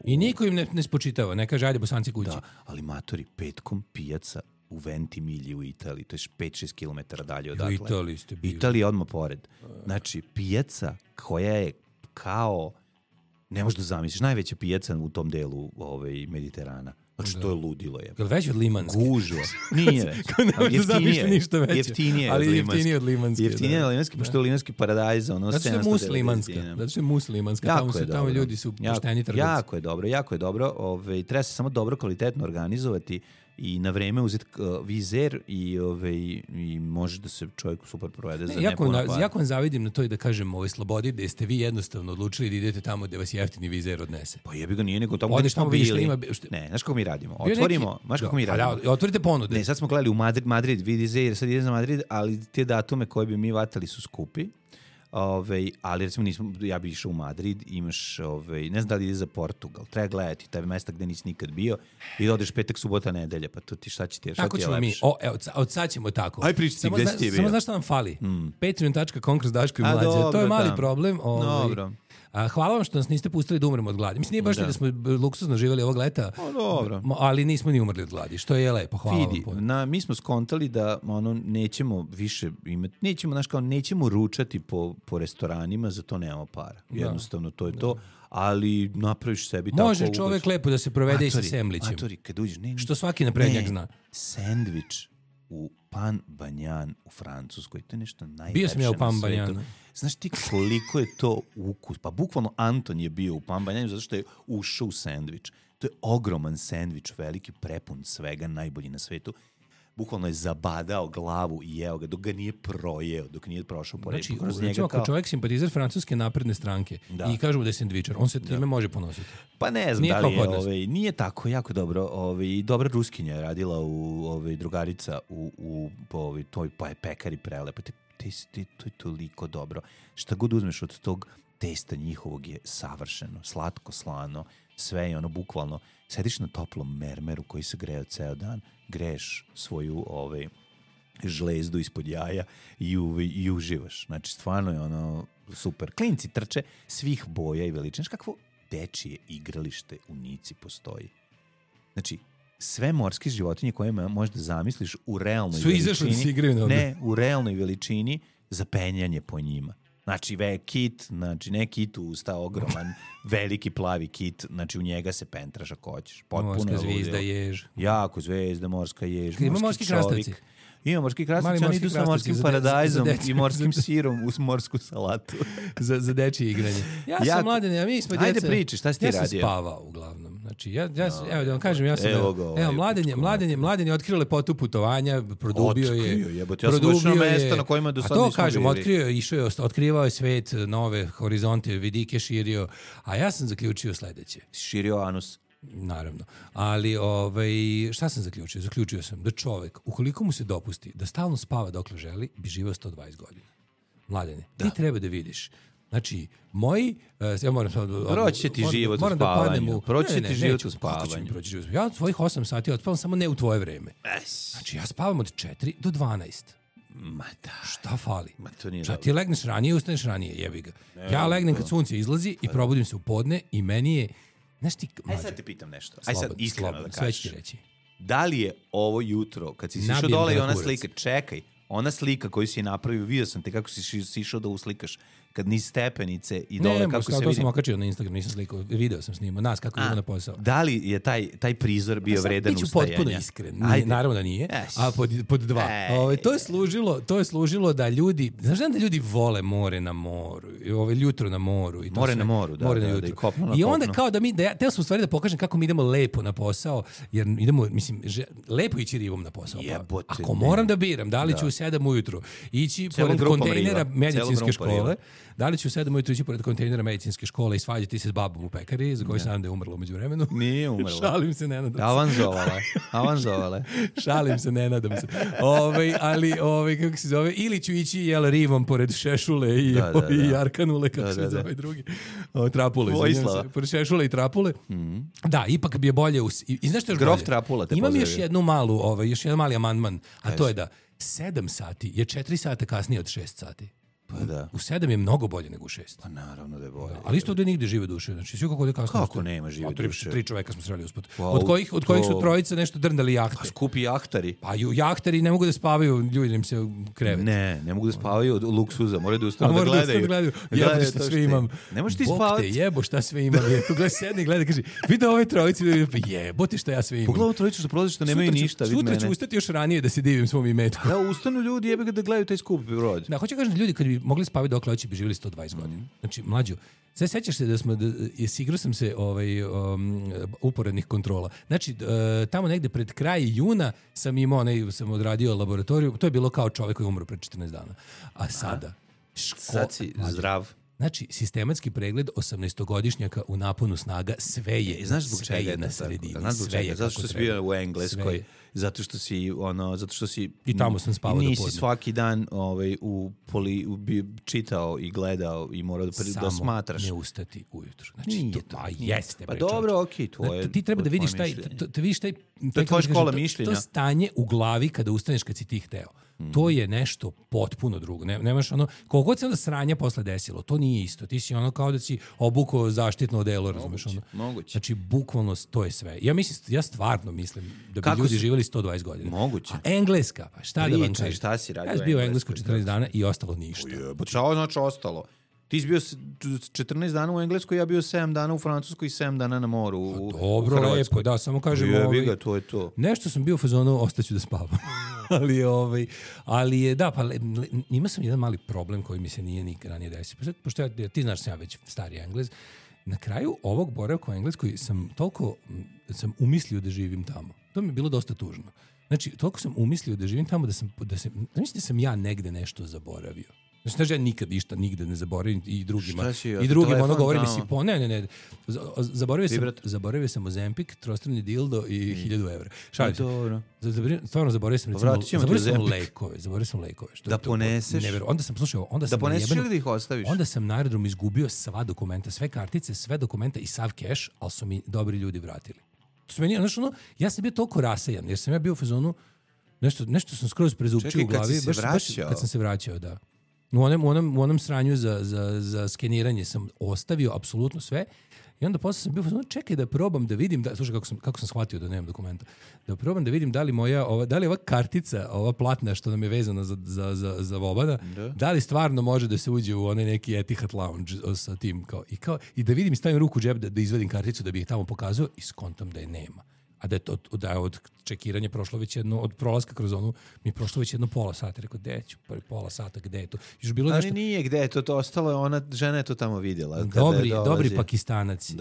I niko im ne spočitava, ne kaže, ajde Bosanci kući. Da, ali matori, petkom pijaca u Ventimigli u Italiji, to je 5-6 km dalje odatle. U Italiji ste bili. Italija odmah pored. Znači, pijaca koja je kao, ne možeš da zamisliš, najveća pijaca u tom delu Mediterana. Znači, to je ludilo. Je li veći od Limanske? Gužva. Nije. Jeftinije od Limanske. Jeftinije od Limanske, pošto je Limanski paradajz. Zato što je muslimanska. Tamo ljudi su pošteni trgovci. Jako je dobro. Treba se samo dobro, kvalitetno organizovati i na vreme uzeti vizer i može da se čovjek super provede za nepuno para. Jako vam zavidim na to i da kažem slobodi, da ste vi jednostavno odlučili da idete tamo gde vas jeftini vizer odnese. Pa jebi ga nije, nego tamo gde smo bili. Ne, znaš kako mi radimo? Otvorite ponude. Ne, sad smo gledali u Madrid, vizer, sad ide za Madrid, ali te datume koje bi mi vatali su skupi. Ali recimo ja bi išao u Madrid, imaš, ne znam da li ide za Portugal, treba gledati taj mesta gde nisi nikad bio i da odeš petak, subota, nedelja, pa to ti šta će ti je lepše. Tako ćemo mi, od sad ćemo tako. Aj pričati gde si ti bio. Samo znaš šta nam fali? Patreon.com/Daško i Mlađa, to je mali problem. Dobro. Hvala vam što nas niste pustili da umremo od gladi. Mislim, nije baš da smo luksuzno živjeli ovog leta, dobro. Ali nismo ni umrli od gladi, što je lepo. Hvala vam. Mi smo skontali da nećemo više imati, nećemo ručati po restoranima, za to nemamo para. Jednostavno, to je to. Ali napraviš sebi tako... Može čovek lepo da se provede i sa semlićem. Kad uđeš, što svaki naprednjak zna. Sendvič u Pan Banjan u Francuskoj, to je nešto najlepše. Bio sam ja u Pan Banjanu. Znaš ti koliko je to ukus? Pa bukvalno Anton je bio u Pan Banjanu zato što je ušao u sendvič. To je ogroman sendvič, veliki, prepun svega, najbolji na svetu. Bukvalno je zabadao glavu i jeo ga dok ga nije projeo, dok nije prošao pored. Znači, recimo, ako čovjek simpatizer Francuske napredne stranke i kažemo da je sendvičar, on se time može ponositi. Pa ne znam da li je, nije tako jako dobro. Dobra Ruskinja je radila drugarica po toj pekari prelepo. To je toliko dobro. Šta god uzmeš od tog testa njihovog je savršeno, slatko, slano, sve je ono bukvalno. Sediš na toplom mermeru koji se greo ceo dan, greješ svoju žlezdu ispod jaja i uživaš. Znači, stvarno je ono super. Klinci trče svih boja i veličine. Znaš kakvo dečije igralište u Nici postoji? Znači, sve morske životinje koje možda zamisliš u realnoj veličini, u realnoj veličini za penjanje po njima. Znači, kit, ne kit usta, ogroman, veliki plavi kit, znači u njega se pentraš ako hoćeš. Morska zvijezda, jež. Jako zvezda, morska jež, ima morski krastavci. Ima morski krastavci, oni idu sa morskim paradajzom i morskim sirom uz morsku salatu. za dečije igranje. Ja sam mladen, mi smo djeca. Ajde priči, šta si ti radio? Ja sam spavao uglavnom. Znači, evo da vam kažem, ja sam... Mladen je otkrio lepotu putovanja, produbio je... Produbio mesto na kojima do sad nismo bili. A to kažem, otkrivao je svet, nove horizonte, vidike širio, a ja sam zaključio sledeće. Širio anus. Naravno. Ali šta sam zaključio? Zaključio sam da čovek, ukoliko mu se dopusti da stalno spava dokle želi, bi živeo 120 godina. Mladene, ti treba da vidiš. Znači, ja moram proći će ti život u spavanju. Proći će ti život u spavanju. Ja od svojih 8 sati odspavam samo ne u tvoje vreme. Znači, ja spavam od 4 do 12. Ma da. Šta fali? Ma to nije dobro. Ti legneš ranije, ustaneš ranije, jebi ga. Ja legnem kad sunce izlazi i probudim se u podne i meni je... Aj sad te pitam nešto. Aj sad iskreno da kažeš. Sve ću ti reći. Da li je ovo jutro, kad si sišao dole i ona slika, čekaj, ona slika koju si napravio, vidio sam te kako si sišao da uslikaš, kad niz stepenice i dole kako se vidi. To sam okačio na Instagram, nisam slikao, video sam snimao, nas kako idemo na posao. Da li je taj prizor bio vredan ustajanja? Biću potpuno iskren, naravno da nije, a pod dva. To je služilo da ljudi, znaš da ljudi vole more na moru, jutro na moru. More na moru, da. I onda kao da teo sam u stvari da pokažem kako mi idemo lepo na posao, jer idemo, mislim, lepo ići rivom na posao. Ako moram da biram, da li ću u 7 ujutru ići pored kontejnera medicinske škole, da li ću u 7 ujutru ići pored kontejnera medicinske škole i svađati se s babom u pekari, za koju sam da je umrla umeđu vremenu. Nije umrla. Šalim se, ne nadam se. Avanzovala. Šalim se, ne nadam se. Ali, kako se zove, ili ću ići rivom pored Šešule i Arkanule, kako se zove drugi. Trapule. Pored Šešule i Trapule. Da, ipak bi je bolje... I znaš što još Grof Trapula te imam još jedan mali amandman, a to je da 7 sati je 4 sata kasnije od 6 sati. Pa da. U 7 je mnogo bolje nego u 6. Pa naravno da je bolje. Ali isto ovdje nigde žive duše. Znači, svi kako ovdje kasno... Kako nema žive duše? 3 čoveka smo sreli uspod. Od kojih su trojica nešto drndali jahte. Pa skupi jahtari. Pa jahtari ne mogu da spavaju, ljudi im se krevet. Ne mogu da spavaju od luksuza. Moraju da ustanu da gledaju. Jebote šta sve imam. Ne možeš ti spavati. Bog te jebo šta sve imam. Tu gleda sedni, gleda, kaže, vidi ove trojice, jebote šta ja sve imam. Pogledaj trojicu što prolazi što nemaju ništa. Sutra ću ustati još ranije da se divim svom imetku. Da, ustanu ljudi, jebe ga da gledaju taj skup brod. Da, hoće kažem, ljudi kad bi mogli spavati dokle bi živjeli 120 godina. Znači, mlađo, sve sećaš se da igrao sam se uporednih kontrola. Znači, tamo negde pred kraj juna sam odradio laboratoriju, to je bilo kao čovjek koji umro pred 14 dana. A sada... Sad si zdrav. Znači, sistematski pregled 18-godišnjaka u naponu snaga, sve je, znaš zbog čega je na sredini. Zato što si bio u Engleskoj, zato što si i tamo sam spavao do podne. Nisi svaki dan čitao i gledao i morao da smatraš. Samo ne ustati ujutru. Znači, jeste. Pa dobro, okej, to je. Ti treba da vidiš taj to je tvoja škola mišljenja. To stanje u glavi kada ustaneš kad si ti hteo. To je nešto potpuno drugo. Nemaš ono, koliko god se onda sranja posle desilo, to nije isto. Ti si ono kao da si obukao zaštitno odelo, razumeš ono. Moguće. Znači, bukvalno to je sve. Ja stvarno mislim da bi ljudi živjeli 120 godina. Moguće. A Engleska, pa šta da vam kažem? Šta si radio? Ja sam bio u Englesku 14 dana i ostalo ništa. Šta znači ostalo? Ti si bio 14 dana u Engleskoj, ja bio 7 dana u Francuskoj i 7 dana na moru u Dobro, lepo, da, samo kažem... Jebiga, to je to. Nešto sam bio u fazonu, ostaću da spavam. ali je, da, pa ima sam jedan mali problem koji mi se nije nikad ranije desio. Pošto ti znaš sam ja već stari Englez. Na kraju ovog boravka u Engleskoj sam umislio da živim tamo. To mi je bilo dosta tužno. Znači, toliko sam umislio da živim tamo da sam ja negde nešto zaboravio. Znači, ja nikad ništa nigde ne zaboravim i drugima ono govori mi si ne. Zaboravio sam Ozempik, trostrani dildo i 1000 evra. Šalim se. Stvarno zaboravio sam lekove. Da poneseš? Onda sam slušao, da poneseš ili da ih ostaviš? Onda sam na aerodromu izgubio sva dokumenta, sve kartice, sve dokumenta i sav keš, ali su mi dobri ljudi vratili. Ja sam bio toliko rasajan, jer sam ja bio u fazonu, nešto sam skroz prezupčio u glavi. Baš kad sam se vraćao, da. U onom sranju za skeniranje sam ostavio apsolutno sve i onda posle sam bio čekaj da probam da vidim, slušaj kako sam shvatio da nemam dokumenta, da probam da vidim da li ova kartica, ova platna što nam je vezana za Vobana, da li stvarno može da se uđe u onaj neki Etihad Lounge sa tim i da vidim i stavim ruku u džep da izvadim karticu da bih ih tamo pokazao i skontam da je nema. A da je od čekiranja prošlo već od prolaska kroz onu, mi je prošlo već pola sata. Rekao, gde ću? Prvi pola sata, gde je to? Ali nije gde je to ostalo, ona žena je to tamo vidjela. Dobri Pakistanac. Ti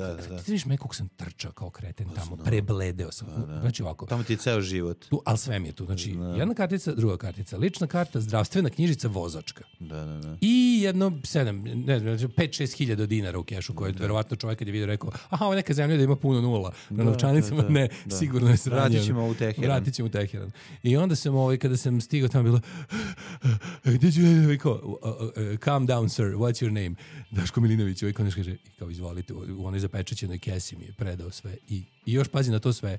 vidiš me kako sam trčao kao kreten tamo, prebledeo sam. Znači ovako. Tamo ti je ceo život. Ali sve mi je tu. Znači, jedna kartica, druga kartica, lična karta, zdravstvena knjižica, vozačka. I jedno 5-6 hiljada dinara u kešu, koje verovatno čovjek kad je vidio rekao, aha, ovo neka zemlja da ima puno nula. Na novčanicama ne. Sigurno je sranjeno. Vratit ćemo u Teheran. I onda sam, kada sam stigao tamo bilo calm down sir, what's your name? Daško Milinović, ovaj konač kaže, izvolite, u onoj zapečaćenoj kesi mi je predao sve. I još pazi na to sve.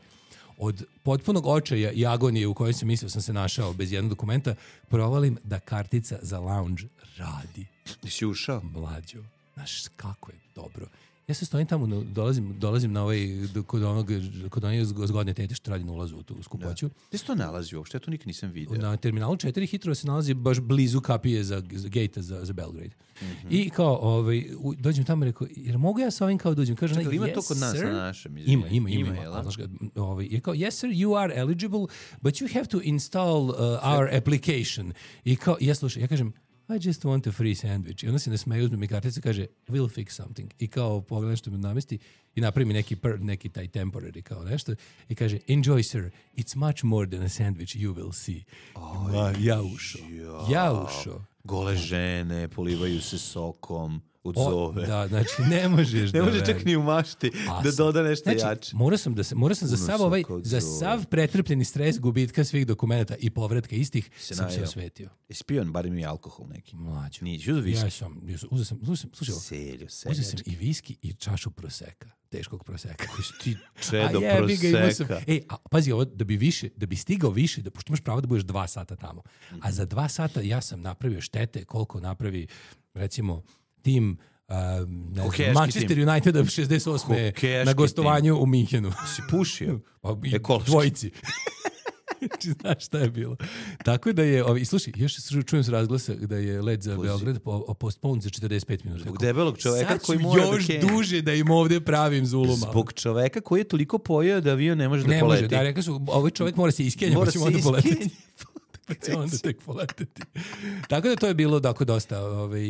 Od potpunog očaja i agonije u kojoj sam mislio sam se našao bez jednog dokumenta, provalim da kartica za lounge radi. Si ušao? Mlađo. Znaš kako je dobro. Ja se stojim tamo, dolazim na kod onog zgodne tete što radi na ulazu u tu skupoću. Gde se to nalazi uopšte? Ja to nikad nisam vidio. Na terminalu 4 Hitrova se nalazi baš blizu kapije za gejta za Belgrade. I kao, dođem tamo i rekao, jer mogu ja sa ovim kao dođem? Kaže, ima to kod nas na našem? Ima. Je kao, yes sir, you are eligible, but you have to install our application. I kao, ja kažem, I just want a free sandwich. I onda se ne smeju, uzme mi karticu i kaže, we'll fix something. I kao pogleda što mi namesti i napravi mi neki taj temporary kao nešto. I kaže, enjoy sir, it's much more than a sandwich, you will see. Ja ušao. Gole žene, polivaju se sokom. Od zove. Da, znači ne možeš ne može čak ni u mašti da doda nešto jače. Morao sam za sav pretrpljeni stres gubitka svih dokumenta i povratka istih sam se osvetio. Jesi pio barem i alkohol neki? Mlađo. Nisi uzeo viski? Ja sam, uzeo sam i viski i čašu proseka. Teškog proseka. Ti čedo proseka. Pazi ovo, da bi stigao više, pošto imaš pravo da budeš 2 sata tamo. A za 2 sata ja sam napravio štete koliko napravi, recimo, tim Manchester tim. United 68. na gostovanju u Minhenu. Si pušio? Dvojici. Znaš šta je bilo. Tako da je, slušaj, još čujem se razglasa da je let za Beograd postponed za 45 minuta. Zbog debelog čoveka koji mora još duže da im ovdje pravim zuluma. Zbog čoveka koji je toliko pojeo da avion ne može da poleti. Ne može, da rekao su, ovaj čovjek mora se iskenja, pa ćemo onda poletiti. Onda tek poletiti. Tako da to je bilo dosta...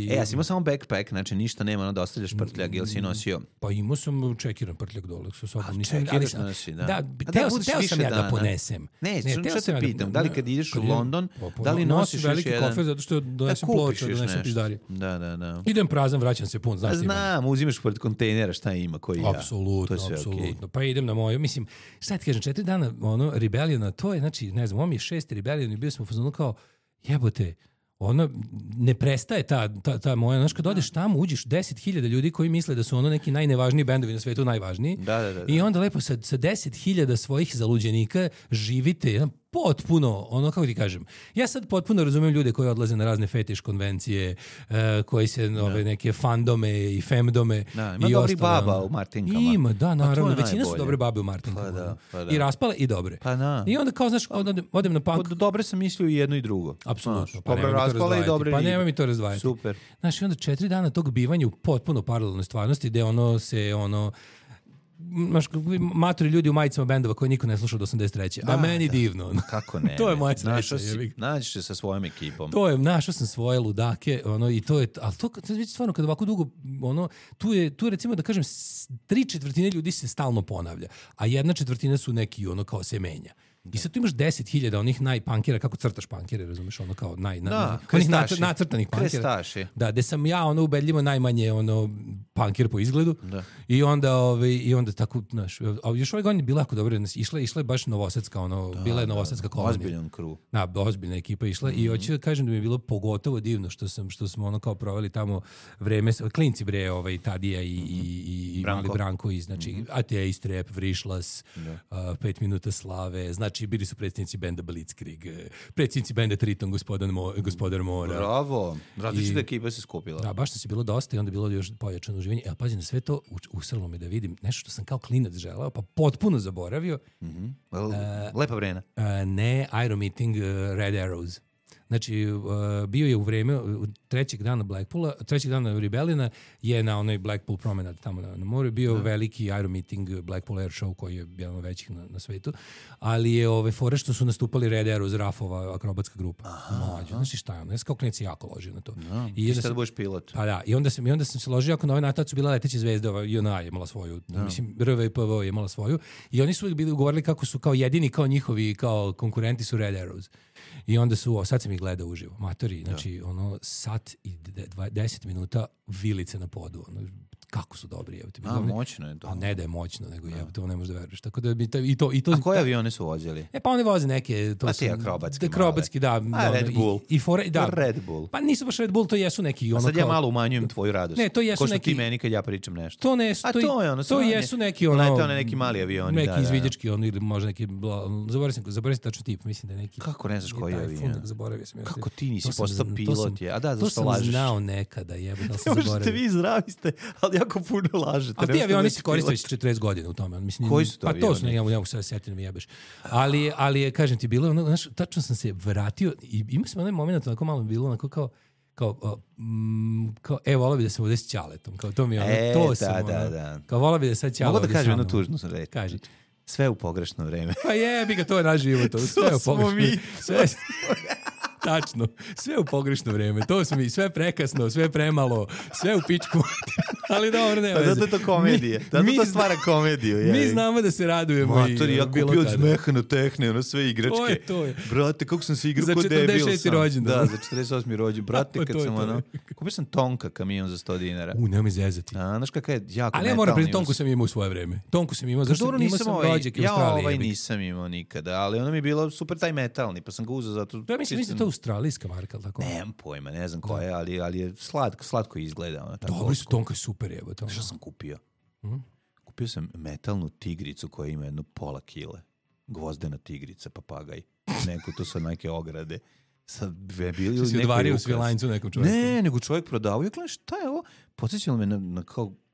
ja sam imao samo backpack, znači ništa nema, da ostavljaš prtljak, ili si nosio? Pa imao sam čekiran prtljak dole sa sobom. Čekiraš nosi, da. Teo sam ja da ponesem. Ne, što te pitam, da li kad ideš u London, da li nosiš veliki kofer zato što donesem ploča, donesem piždarije. Da. Idem prazan, vraćam se pun. Znam, uzimaš pored kontejnera šta ima, koji ja. Apsolutno. Pa idem na moju, mislim, šta ti kažem, 4 dana rebeliona, to je, znači, ne znam, on mi je 6. rebelion i bio sam u fazonu kao, jebote, ono, ne prestaje ta moja, znaš, kad odeš tamo, uđeš 10.000 ljudi koji misle da su ono neki najnevažniji bendovi na svetu, najvažniji. Da. I onda lepo sa 10.000 svojih zaluđenika živite jedan potpuno, ono kako ti kažem, ja sad potpuno razumijem ljude koji odlaze na razne fetiš konvencije, koji se neke fandome i femdome ima i dobri ostalo. baba u Martinkama. Ima, da, naravno, većina su dobre babe u Martinkama. Pa da. I raspale i dobre. Pa da. I onda kao, znaš, odem na punk. Dobre sam mislio i jedno i drugo. Apsolutno. Dobro raspale i dobre pa nema mi to razdvajati. Super. Znaš, i onda 4 dana tog bivanja u potpuno paralelnoj stvarnosti gde matori ljudi u majicama bendova koje niko ne sluša od 83. A meni divno. Kako ne? To je moja sreća. Nađeš se sa svojom ekipom. To je, našao sam svoje ludake, i to je, ali to stvarno kad ovako dugo, tu je recimo da kažem 3/4 ljudi se stalno ponavlja, a 1/4 su neki kao se menja. I sad tu imaš 10.000 onih najpankera, kako crtaš pankere, razumeš, kao onih nacrtanih pankera. Krestaši. Da, gde sam ja ubedljivo najmanje panker po izgledu. Da. I onda tako, znaš, a još ove godine bila jako dobro, išla je baš novosadska, bila je novosadska kolonija. Ozbiljan kru. Da, ozbiljna ekipa išla i hoću da kažem da mi je bilo pogotovo divno što smo kao proveli tamo vreme, klinci Tadija i Mali Branko i znači Ateist Rap, Vrišlas, 5 minuta slave, znači bili su predsjednici benda Blitzkrieg, predsjednici benda Triton, Gospodar Mora. Bravo, različita ekipa se skupila. Da, baš nas je bilo dosta i onda je bilo još pojačano uživanje. Pazi, na sve to usrlo me da vidim nešto što sam kao klinac želeo, pa potpuno zaboravio. Lepa vrena. Ne, Iron Meeting, Red Arrows. Znači, bio je u vreme trećeg dana Blackpoola, trećeg dana Rebelliona je na onoj Blackpool promenad tamo na moru bio veliki Iron Meeting Blackpool Air Show koji je jedan od većih na svetu, ali je fore što su nastupali Red Arrows, Rafova akrobatska grupa. Znači šta je ono? Ja sam kao klinici jako ložio na to. I sad budeš pilot. Pa da, i onda sam se ložio ako na ovaj natac su bila leteće zvezde, JNA je imala svoju, mislim RVPV je imala svoju i oni su uvijek bili govorili kako su kao jedini, kao njihovi, kao konkurenti su Red Arrows. I onda sad sam ih gledao uživo, matori, znači sat i 10 minuta vilice na podu, kako su dobri. Moćno je to. A ne da je moćno, nego to ne možeš da veruješ. Tako da i to a koje avione su vozili? Pa oni voze neke... Pa ti akrobatski. Akrobatski, da. Red Bull. Red Bull. Pa nisu baš Red Bull, to jesu neki... A sad ja malo umanjujem tvoju radost. Ne, to jesu neki... Ko što neki... ti meni kad ja pričam nešto. To ne, to jesu neki Letao na neki mali avioni. Neki izviđački, ili možda neki... Zaboravim se tačno tip, mislim da je neki... Kako ne znaš koji je avion? Zaboravio sam. Kako ti nisi postao pilot je? A da, zašto lažeš? To sam znao nekada, da sam zaboravio. Možete vi zdravi ste, ali jako puno lažete. A ti avioni se koriste već 40 godina u tome. Mislim, koji su to avioni? Pa to su, ne mogu sad setiti da mi jebeš. Ali kažem ti, bilo, znaš, tačno sam se vratio i imao sam onaj moment, onako malo bilo, onako kao volao bi da sam ovdje s Ćaletom. Kao to mi je to sam. Da. Kao volao bi da sad Ćale. Mogu da kažem jednu tužnu sam reći. Kaži. Sve u pogrešno vreme. Pa jebi ga, to je naš život. Sve u pogrešno. Tačno, sve u pogrešno vreme. To su mi sve prekasno, sve premalo, sve u pičku. Ali dobro, nema veze. Zato je to komedije. Zato to stvara komediju. Mi znamo da se radujemo. Matori, ja kupio od Zmehana Tehne, sve igračke. To je. Brate, kako sam se igrao kod debil sam. Za 46. rođendan. Da, za 48. rođendan. Brate, kad sam kupio sam Tonka kamion za 100 dinara. Nema mi zezati. Znaš kakav je jako ali ja moram priznati, Tonku sam imao u svoje vreme. Tonku sam imao, zašto imao sam rođake u Australiji. Ja nisam imao nikada, ali ono mi je bilo super taj metalni, pa sam ga uzeo zato... Ja mislim da je to australijska marka, ali tako? Nemam pojma, ne znam koja je, ali je slatko izgleda. Dobri su, Tonka je super jebo. Što sam kupio? Kupio sam metalnu tigricu koja ima 1,5 kile. Gvozdena tigrica, papagaj. Neko, to su neke ograde. Sad bili si odvario u svilajncu nekom čovjeku? Ne, nego čovjek prodavao. Ja gledam, šta je ovo? Podsjećalo me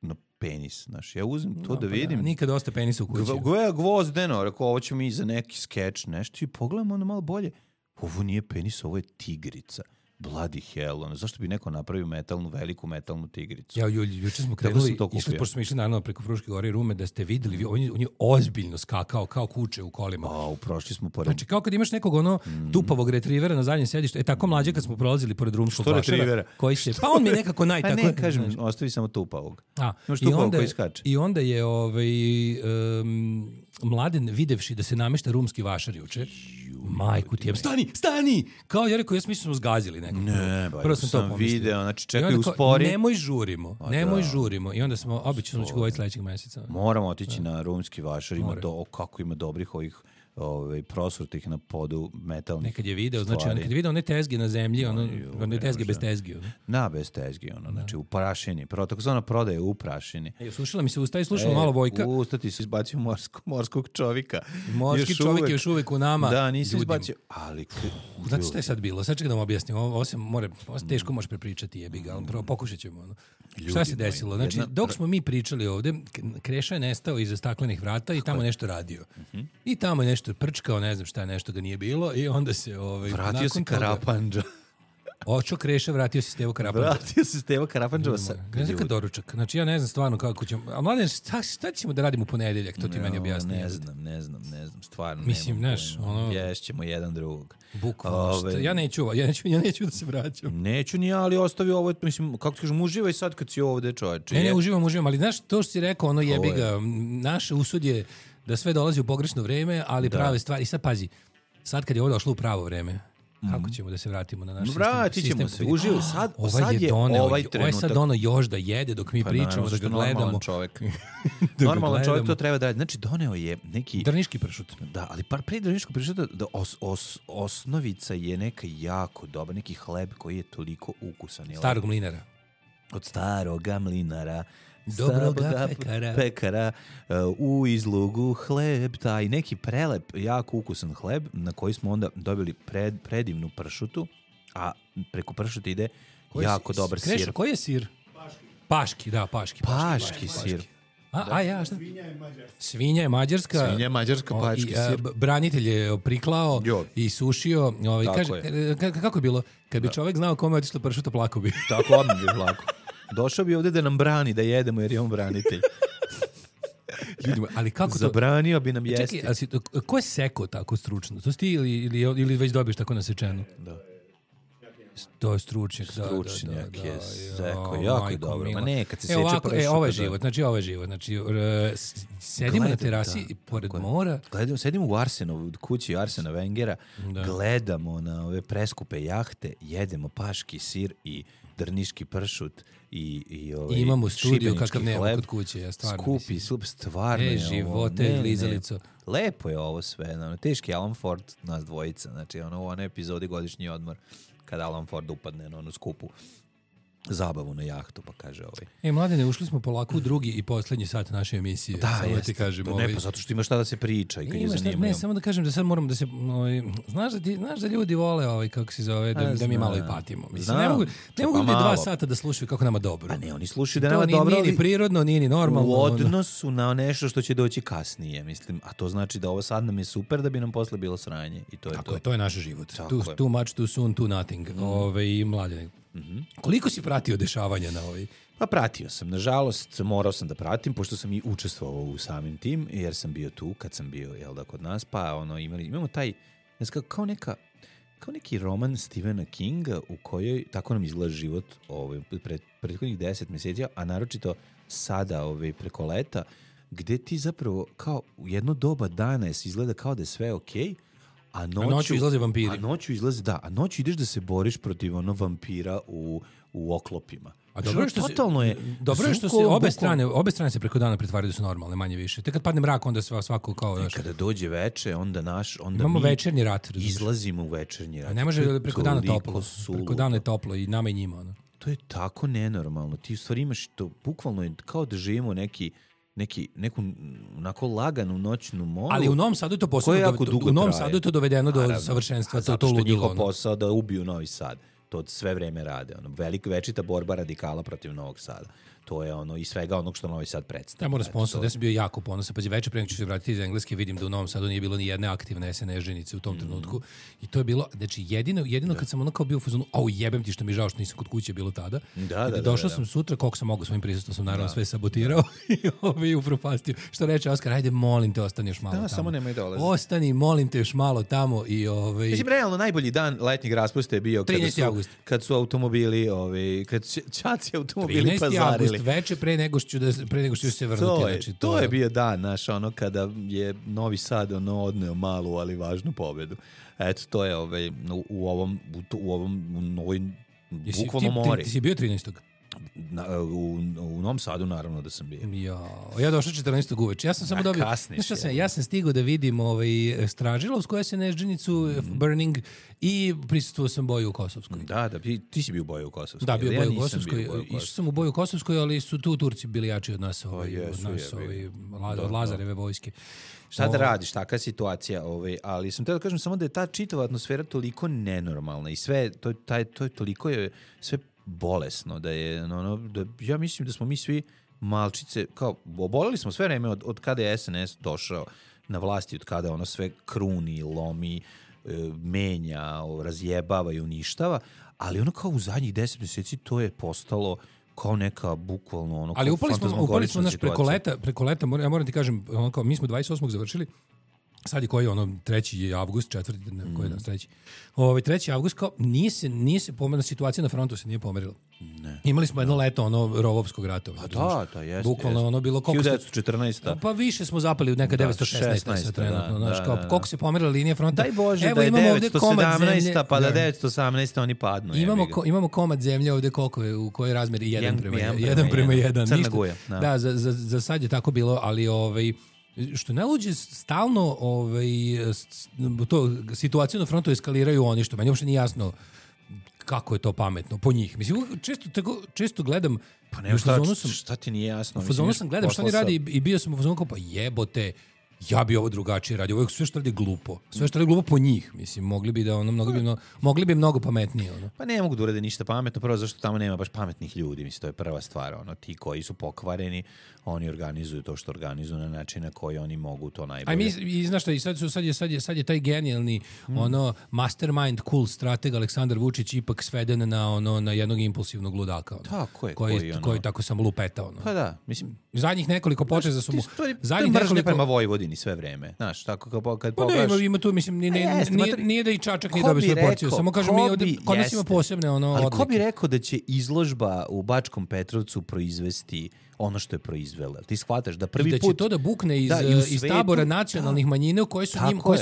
na penis, znaš. Ja uzem to da vidim. Nikad dosta penisa u kući. Gvozdeno, rekao, ovo ćemo mi za neki skeč, nešto. I pogledamo ono malo bolje. Ovo nije penis, ovo je tigrica. Bloody hell, zašto bi neko napravio veliku metalnu tigricu? Ja, juče smo krenuli, pošto smo išli naravno preko Fruške gore i Rume, da ste videli, on je ozbiljno skakao, kao kuće u kolima. Prošli smo pored... Znači, kao kad imaš nekog tupavog retrivera na zadnjem sedištu, tako mlađe kad smo prolazili pored rumskog vašara, koji se... Pa on mi nekako Pa ne, kažem, ostavi samo tupavog. Imaš tupavog koji skače. I onda je Mladen, videvši da se namešta rumski vašar juče, majku ti je, stani! Kao ja rekao, ja smo zgazili nekako. Ne, prvo sam video, znači čekaj uspori. Nemoj žurimo. I onda smo, obično ću govoriti sledećeg mjeseca. Moramo otići na rumski vašar, kako ima dobrih ovih prosrutih na podu metalnih nekad je video, stvari. znači kad je video one tezge na zemlji, one tezge bez tezgi. Na, bez tezgi, znači u prašini. Takozvana prodaja u prašini. Sušila mi se usta i slušala malo Vojka. Usta ti si izbacio morskog čovjeka. Morski čovjek je još uvijek u nama. Da, nisi izbacio, ali... Znate šta je sad bilo? Sad čekaj da vam objasnim. Ovo teško može prepričati, jebi ga, ali prvo pokušat ćemo. Šta se desilo? Znači, dok smo mi pričali ovde, Kreša je nestao iza staklenih vrata i tamo nešto radio. I tamo je nešto prčkao, ne znam šta, nešto ga nije bilo i onda se... Vratio se Karapandža. Očo Kreša, vratio se Stevo Karapandža. Vratio se Stevo Karapandža. Ne znam kad doručak. Znači, ja ne znam stvarno kako ćemo... A mladen, šta ćemo da radimo u ponedeljak? To ti meni objasni. Ne znam, stvarno. Mislim, znaš, Ješćemo jedan drugog. Bukvalno. Ja neću da se vraćam. Neću ni ja, ali ostavi ovo, mislim, kako ti kažem, uživaj sad kad si ovde, čoveče. Ne, uživam, ali znaš, to što si rekao, jebi ga, naše usud je da sve dolazi u pogrešno vreme, ali prave stvari. I sad pazi, sad kad je ovo došlo u pravo vreme, kako ćemo da se vratimo na naš sistem? Vratit ćemo se, uživaj. Sad je ovaj trenutak. Ovo je sad ono još da jede dok mi pričamo, da ga gledamo. Normalan čovjek. Normalan čovjek to treba da radi. Znači, doneo je neki... Drniški pršut. Da, ali prije drniškog pršuta osnovica je neka jako dobra, neki hleb koji je toliko ukusan. Starog mlinara. Od staroga mlinara. Dobroga pekara u izlogu hleb, taj neki prelep, jako ukusan hleb na koji smo onda dobili predivnu pršutu, a preko pršuta ide jako dobar sir. Koji je sir? Paški sir. Šta? Svinja je mađarska, paški sir. Branitelj je priklao i sušio. Kaže, kako je bilo? Kad bi čovjek znao kome je otišla pršuta, plako bi. Tako, odmah bi plako. Došao bi ovdje da nam brani, da jedemo, jer je on branitelj. Ljudima, ali kako to... Zabranio bi nam jesti. Čekaj, ko je sekao tako stručno? To si ti ili već dobiješ tako nasečeno? Da. To je stručnjak. Stručnjak je sekao, jako je dobro. Ma ne, kad se seče pršuta. Ovo je život. Znači, sedimo na terasi pored mora. Sedimo u Arsenovu, kući Arsena Wengera, gledamo na ove preskupe jahte, jedemo paški sir i drniški pršut i imamo studiju kakav nema kod kuće, ja stvarno skupi, stvarno je živote, glizalico. Lepo je ovo sve, teški Alan Ford, nas dvojica, znači u onoj epizodi Godišnji odmor, kada Alan Ford upadne na onu skupu zabavu na jahtu, pa kaže Mladene, ušli smo polako u drugi i poslednji sat naše emisije. Da, jeste. Ne, pa zato što ima šta da se priča i kad je zanimljivo. Ne, samo da kažem da sad moram da se... Znaš da ljudi vole, kako se zove, da mi malo i patimo. Mislim, ne mogu ljudi 2 sata da slušaju kako nama dobro. Pa ne, oni slušaju da nama dobro, ali... Nije ni prirodno, nije ni normalno. U odnosu na nešto što će doći kasnije, mislim. A to znači da ovo sad nam je super da bi nam posle bilo sranje. I to je tako, to je naš život. Too much, too soon, too nothing. Mladene. Koliko si pratio dešavanja na ovoj? Pa pratio sam, nažalost morao sam da pratim, pošto sam i učestvovao u samim tim, jer sam bio tu kad sam bio kod nas, pa imamo taj, kao neki roman Stephena Kinga u kojoj tako nam izgleda život prethodnih 10 mjeseci, a naročito sada preko leta, gde ti zapravo kao u jedno doba dana izgleda kao da je sve okej, a noću izlaze vampiri. A noću ideš da se boriš protiv vampira u oklopima. A dobro je što se obe strane se preko dana pretvaraju da su normalne, manje više. Te kad padne mrak, onda svako kao... Kada dođe veče, onda imamo večernji rat. Izlazimo u večernji rat. A ne može preko dana toplo. Preko dana je toplo i nama i njima. To je tako nenormalno. Ti u stvari imaš to, bukvalno je kao da živimo neku onako laganu noćnu moru. Ali u Novom Sadu je to u Novom Sadu je to dovedeno do savršenstva. Zato što je njihov posao da ubiju Novi Sad. To sve vreme rade. Večita borba radikala protiv Novog Sada. To je i svega onog što Novi Sad predstavlja. Ja moram sponsor, da sam bio jako ponosan. Pazi, večer pre nego ću se vratiti iz Engleske, vidim da u Novom Sadu nije bilo ni jedne aktivne SNS ženice u tom trenutku. I to je bilo, znači jedino kad sam kao bio u fazonu, jebem ti što mi žao što nisam kod kuće bilo tada. Došao sam sutra, koliko sam mogao svojim prisustvom, sam naravno sve sabotirao i upropastio. Što reče Oskar, ajde molim te, ostani još malo tamo. Samo nemoj dolazi. Ostani, molim te još malo tamo i Mislim, realno najbolji dan letnjeg raspusta je bio kad su automobili, kad ćaci automobili pazarili. Veče pre nego što se vrnuti. To je bio dan, kada je Novi Sad odneo malu, ali važnu pobedu. Eto, to je u ovoj bukvalno mori. Ti si bio 13. U Novom Sadu naravno da sam bio. Ja došao 14. uveče. Ja sam samo dobio... Ja sam stigao da vidim Stražilovsku SNS-đenicu, Burning, i prisustvovao sam Boju u Kosovskoj. Da, ti si bio u Boju u Kosovskoj. Da, bio u Boju u Kosovskoj. Išao sam u Boju u Kosovskoj, ali su tu Turci bili jači od nas, od Lazareve vojske. Šta da radiš, takva situacija, ali sam teo da kažem samo da je ta čitava atmosfera toliko nenormalna i sve, to je toliko je sve bolesno, da je, ja mislim da smo mi svi malčice, kao, oboleli smo sve vreme od kada je SNS došao na vlasti, od kada ono sve kruni, lomi, menja, razjebava i uništava, ali ono kao u zadnjih 10 mjeseci to je postalo kao neka bukvalno ono, ali upali smo naš preko leta, ja moram ti kažem, ono kao, mi smo 28. završili, sad je koji je 3. avgust, 4. koji je danas 3. 3. avgust, kao nije se pomerila, situacija na frontu se nije pomerila. Ne. Imali smo jedno leto Rovovskog rata. Da, jeste. Bukvalno ono bilo koliko 1914. Pa više smo zapali u neka 916. trenutno, znaš, kao koliko se pomerila linija fronta. Daj Bože, da je 917. Pa da 918. oni padnu. Imamo komad zemlje ovde koliko je, u kojoj razmeri 1:1. Crna Guja. Da, za sad je tako bilo, ali što najluđe stalno to situaciju na frontu eskaliraju oni, što meni uopšte nije jasno kako je to pametno po njih. Mislim, često gledam, pa ne, šta ti nije jasno? U fazonu sam gledam šta oni radi i bio sam u fazonu kao, pa jebote, ja bi ovo drugačije radio. Ovo sve što radi glupo. Sve što radi glupo po njih. Mislim, mogli bi mnogo pametnije. Pa ne mogu da urade ništa pametno, prvo zašto tamo nema baš pametnih ljudi. Mislim, to je prva stvar. Ti koji su pokvareni, oni organizuju to što organizuju na način na koji oni mogu to najbolje. I znaš šta, i sad je taj genijalni mastermind, cool strateg Aleksandar Vučić ipak sveden na jednog impulsivnog ludaka. Tako je. Koji tako sam lupetao. Pa da, mislim. Zadnjih nekoliko poteza su mu... Zadnjih nekoliko prema Vojvodini sve vreme. Znaš, tako kad pogledaš... Pa ne, ima tu, mislim, nije da i Čačak nije dobio svoju porciju. Samo kažem, kod nas ima posebne odlike. Ali ko bi rekao da će izložba u Bačkom Petrovcu proizvesti ono što je proizvela? Ti shvataš da prvi put... I da će to da bukne iz tabora nacionalnih manjina koji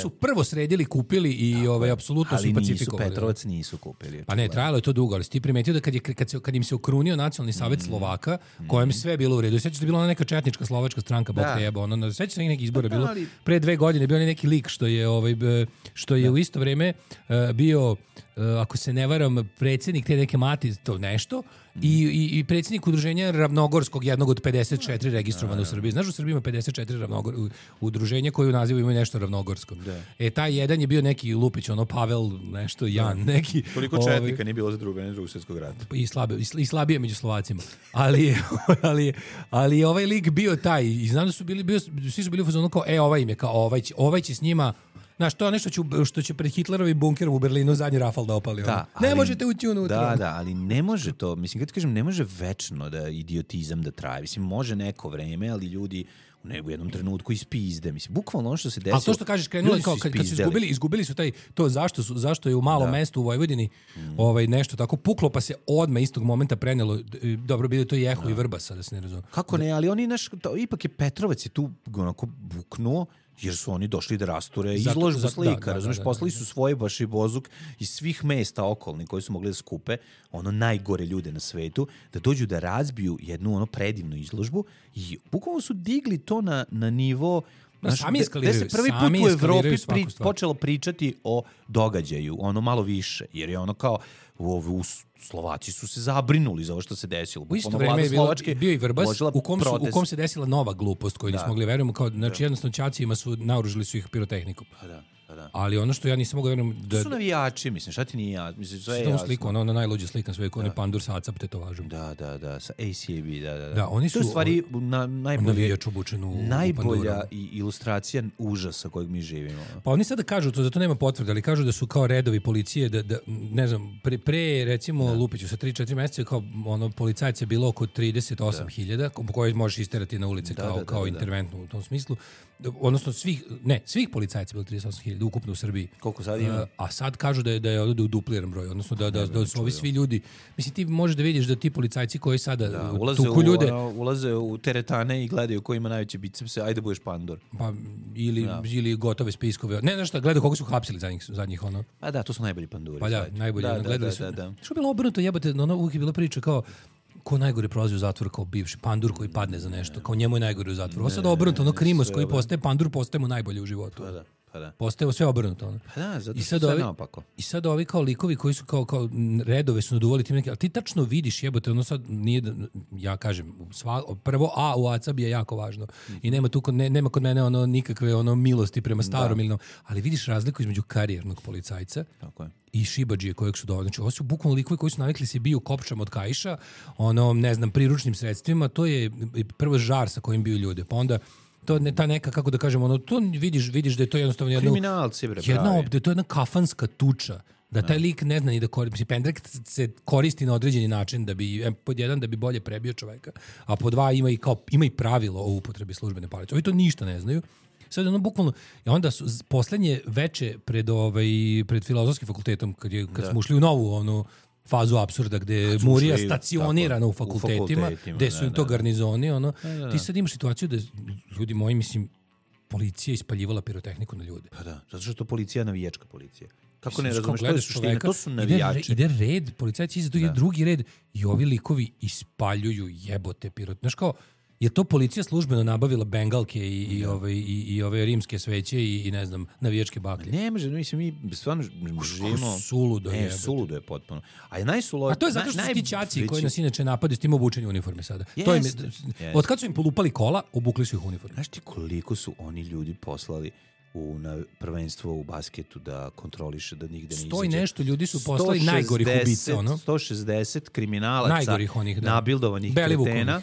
su prvo sredili, kupili i apsolutno su pacifikovali. Ali Petrovac nisu kupili. Pa ne, trajalo je to dugo, ali si ti primetio da kad im se okrunio Nacionalni savjet Slovaka, kojem sve bilo u redu. Sjećaš da je bila ona neka četnička slovačka stranka, bog te jeba. Sjećaš da neki izbora bilo? Pre 2 godine bio neki lik što je u isto vreme bio, ako se ne varam, predsjednik te neke mati, to nešto, i predsjednik udruženja Ravnogorskog, jednog od 54 registrovane u Srbiji. Znaš, u Srbiji ima 54 udruženja koji u nazivu imaju nešto ravnogorsko. Taj jedan je bio neki Lupić, Pavel, nešto, Jan, neki... Toliko četnika nije bilo za drugog svjetskog rata. I slabije među Slovacima. Ali ovaj lik bio taj, i znam da su svi su bili u fazonu kao, ovaj im je, kao ovaj će s njima... Znaš, to je nešto što će pred Hitlerovim bunkerom u Berlinu zadnji rafal da opali. Ne možete ući unutra. Da, ali ne može to. Mislim, kad ti kažem, ne može večno da idiotizam da traje. Mislim, može neko vreme, ali ljudi u jednom trenutku ispizde. Mislim, bukvalno ono što se desilo... Ali to što kažeš, krenulo kao kad su izgubili su to zašto je u malom mestu u Vojvodini nešto tako puklo, pa se odmah istog momenta prenelo. Dobro, bilo to i Eho i Vrbasa, da se ne razumije. Kako ne, ali oni ipak je Petrovac je tu onako buknuo, jer su oni došli da rasture izložbu slika, razumiješ, poslali su svoj baš i bozuk iz svih mesta okolnih koji su mogli da skupe najgore ljude na svetu, da dođu da razbiju jednu predivnu izložbu i bukvalno su digli to na nivo da se prvi put u Evropi počelo pričati o događaju, malo više, jer je kao Slovaci su se zabrinuli za ovo što se desilo. U isto vreme je bio i Vrbas u kom se desila nova glupost koju nismo mogli verujemo. Znači jednostavno ćacima su naoružili su ih pirotehnikom. Da. Ali ono što ja nisam mogao verujem da su navijači, mislim, šta ti nije jasno, mislim, sve je jasno. Sliku, ona najluđa slika na svetu, onaj pandur sa acap tetovažom. Da, sa ACAB, da. Da, oni su to stvari najbolja ilustracija užasa kojeg mi živimo. Pa oni sada kažu to, zato nema potvrde, ali kažu da su kao redovi policije, da ne znam, pre recimo Lupiću sa 3-4 mjeseca kao policajaca je bilo oko 38.000, koje možeš isterati na ulice kao interventno u tom smislu. Odnosno svih policajaca bilo 38.000 ukupno u Srbiji. Koliko sad ima? A sad kažu da je ovdje dupliran broj, odnosno da su ovi svi ljudi, mislim ti možeš da vidiš da ti policajci koji sada tuku ljude ulaze u teretane i gledaju ko ima najveće bicepse, ajde budeš pandor. Pa ili gotove spiskove. Ne, znaš šta, gledaju koliko su hapsili zadnjih ono. A da, to su najbolji panduri. Pa da, najbolji, gledali su. Što je bilo obrnuto, jebate, uvijek je bila priča kao ko najgore prolazi u zatvor kao bivši pandur koji padne za nešto, kao njemu je najgore u zatvoru. Ovo sad obrnuto, ono Krimos koji postaje pandur, postaje mu najbolje u životu. Pa da. Postaje sve obrnuto. Ono. Pa da, zato što sve naopako. I sad ovi kao likovi koji su kao redove su naduvali tim neki, ali ti tačno vidiš, jebote, ono sad nije, ja kažem, prvo A u ACAB je jako važno. I nema tu nema kod mene ono nikakve ono milosti prema starom ili ali vidiš razliku između karijernog policajca i šibadžije kojeg su doveli. Znači, ovo su bukvalno likovi koji su navikli se biju kopčama od kaiša, ono, ne znam, priručnim sredstvima, to je prvo žar sa kojim biju ljude, pa onda to ne ta neka, kako da kažem, ono, to vidiš da je to jednostavno kriminalci, bre, pravi. Da je to jedna kafanska tuča, da taj lik ne zna ni da koristi. Pendrek se koristi na određeni način da bi, pod jedan, da bi bolje prebio čoveka, a pod dva ima i pravilo o upotrebi službene palice. Ovi to ništa ne znaju. Sad ono bukvalno, i onda su poslednje veče pred filozofskim fakultetom, kad smo ušli u novu onu fazu apsurda gde je Murija stacionirana u fakultetima, gde su im to garnizoni, ono. Ti sad imaš situaciju da ljudi moji, mislim, policija ispaljivala pirotehniku na ljude. Pa da, zato što je to policija navijačka policija. Kako ne razumeš, to je suština, to su navijači. Ide red, policajci iza drugi red i ovi likovi ispaljuju jebote pirot. Znaš kao, je to policija službeno nabavila bengalke i ove rimske sveće i ne znam, navijačke baklje? Ne može, mislim, mi stvarno živimo... Suludo je potpuno. A to je zato što su ti ćaci koji nas inače napade s tim obučenju uniforme sada. Od kad su im polupali kola, obukli su ih uniforme. Znaš ti koliko su oni ljudi poslali na prvenstvo u basketu da kontroliše da nigde ne izađe? 100 i nešto ljudi su poslali najgorih ubica. 160 kriminalaca nabildovanih kretena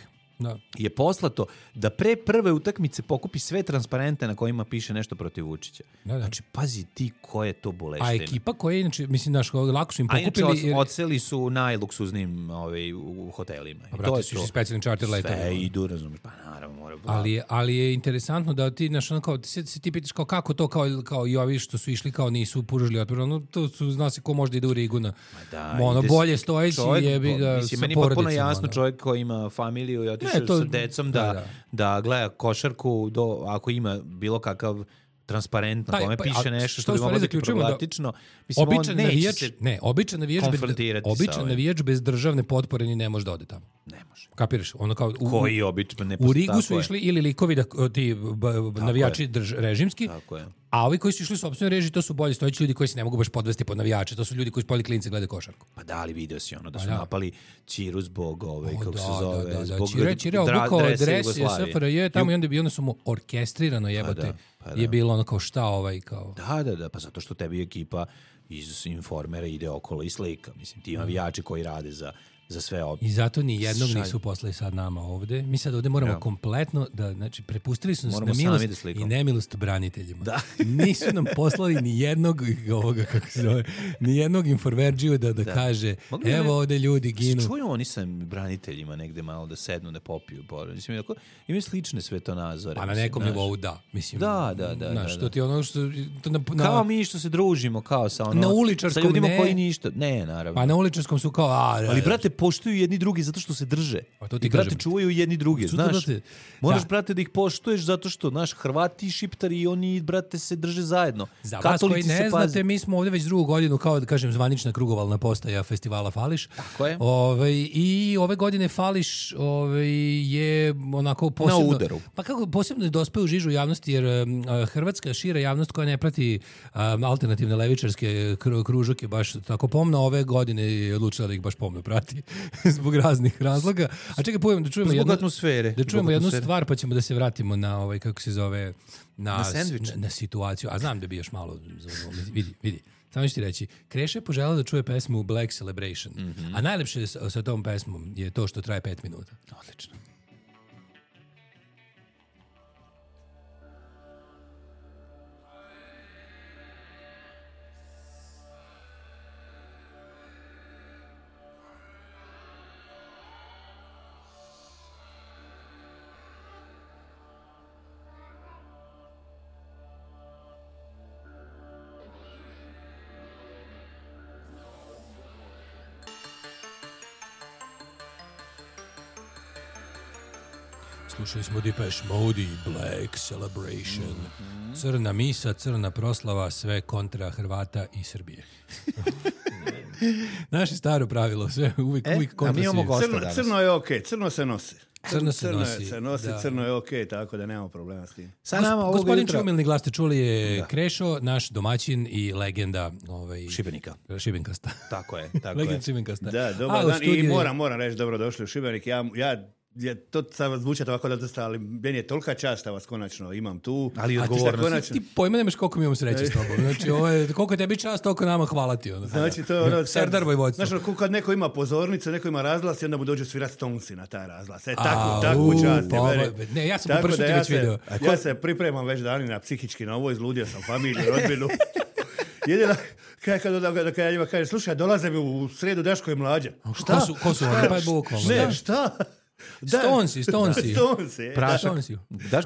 je poslato da pre prve utakmice pokupi sve transparente na kojima piše nešto protiv Vučića. Znači, pazi ti ko je to boleština. A ekipa koja je, znači, mislim, lako su im pokupili... A inače, odseli su najluksuznim u hotelima. Pa, brate, su specijalnim charter letovima. Sve idu, razumiješ, pa naravno, mora... Ali je interesantno da ti, znaš, ono kao, ti pitaš kao kako to, kao i ovi što su išli, kao nisu puružili otpor, ono, to su, zna se ko može da ide u Rigu na... bolje stojeći, jebi ga, mislim, meni potpuno jasno čovjek koji ima familiju i otišao sa decom da gleda košarku ako ima bilo kakav transparent na kome piše nešto što bi moglo biti problematično. Običan navijač bez državne potpore ni ne može da ode tamo. Ne može. Kapiraš? Ono kao koji obično ne u Rigu su išli ili likovi ti navijači režimski, a ovi koji su išli u sopstvenoj režiji, to su bolje stojeći ljudi koji se ne mogu baš podvesti pod navijače. To su ljudi koji spoli klince glede košarku. Pa da, ali video si ono da su napali Ćiru zbog kako se zove, zbog Ćira obukao dres SFRJ tamo i onda su mu orkestrirano jebote. Je bilo ono kao šta kao... Da, pa zato što tebi ekipa iz Informera ide okolo i slika. Mislim, ti navijači koji rade za sve ovdje. I zato ni jednog nisu poslali sad nama ovde. Mi sad ovde moramo kompletno da, znači, prepustili su nas na milost i nemilost braniteljima. Da. Nisu nam poslali ni jednog ni jednog informerđiju da kaže evo ovde ljudi ginu. Čuju oni sa braniteljima negde malo da sednu, da popiju. Mislim, imaju slične svetonazore. Pa na nekom nivou da. Mislim, da. Što ti ono što... Kao mi što se družimo, kao sa na uličarskom, sa ljudima koji ništa. Ne, naravno. Pa na uličarskom su kao... Ali, brate, poštuju jedni drugi zato što se drže. Pa to ti i, brate, čuvaju jedni drugi, znaš. Moraš, brate, da ih poštuješ zato što, znaš, Hrvati i Šiptari i oni, brate, se drže zajedno. Za vas koji ne znate, mi smo ovdje već drugu godinu, kao da kažem, zvanična krugovalna postaja festivala Fališ. Tako je. I ove godine Fališ je onako posebno... Na udaru. Pa kako posebno je dospeo u žižu javnosti, jer hrvatska šira javnost koja ne prati alternativne levičarske kružoke baš tako pomno, ove godine je odlučila da ih baš pomno prati. Zbog raznih razloga. A čekaj, da čujemo jednu stvar, pa ćemo da se vratimo na kako se zove, na situaciju. A znam da bi još malo vidi. Samo ću ti reći, Kreša je poželao da čuje pesmu Black Celebration. A najlepše sa tom pesmom je to što traje 5 minuta. Odlično. Slušali smo Depeche Mode i Black Celebration. Crna misa, crna proslava, sve kontra Hrvata i Srbije. Naše staro pravilo, sve uvijek kontra mi imamo gosta danas. Crno je okej, crno se nosi. Crno se nosi. Crno je okej, tako da nemamo problema s tim. Gospodin Čumilni glas ste čuli je Krešo, naš domaćin i legenda Šibenikasta. Tako je. Legenda Šibenikasta. Da, dobar dan. I moram reći dobrodošli u Šibenik. To sad zvuči ovako da dosta, ali meni je tolika čast da vas konačno imam tu. Ali odgovornost. Ti pojma nemaš koliko mi imamo sreće s tobom. Znači, koliko je tebi čast, toliko nama hvala ti. Znači, to je Serdar Vojvodstvo. Znači, kad neko ima pozornicu, neko ima razglas i onda mu dođu svirati Stonesi na taj razglas. Takvu čast. Ne, ja sam po prvi već vidio. Ja se pripremam već danina psihički na ovo, izludio sam familiju, rodbinu. Jedina, kad ja njima kažem, slušaj, dolaze mi u sredu Daško i Mlađa. Šta? Ko su oni? Pa je bukvalno. Ne, šta? Stonesi. Stonesi.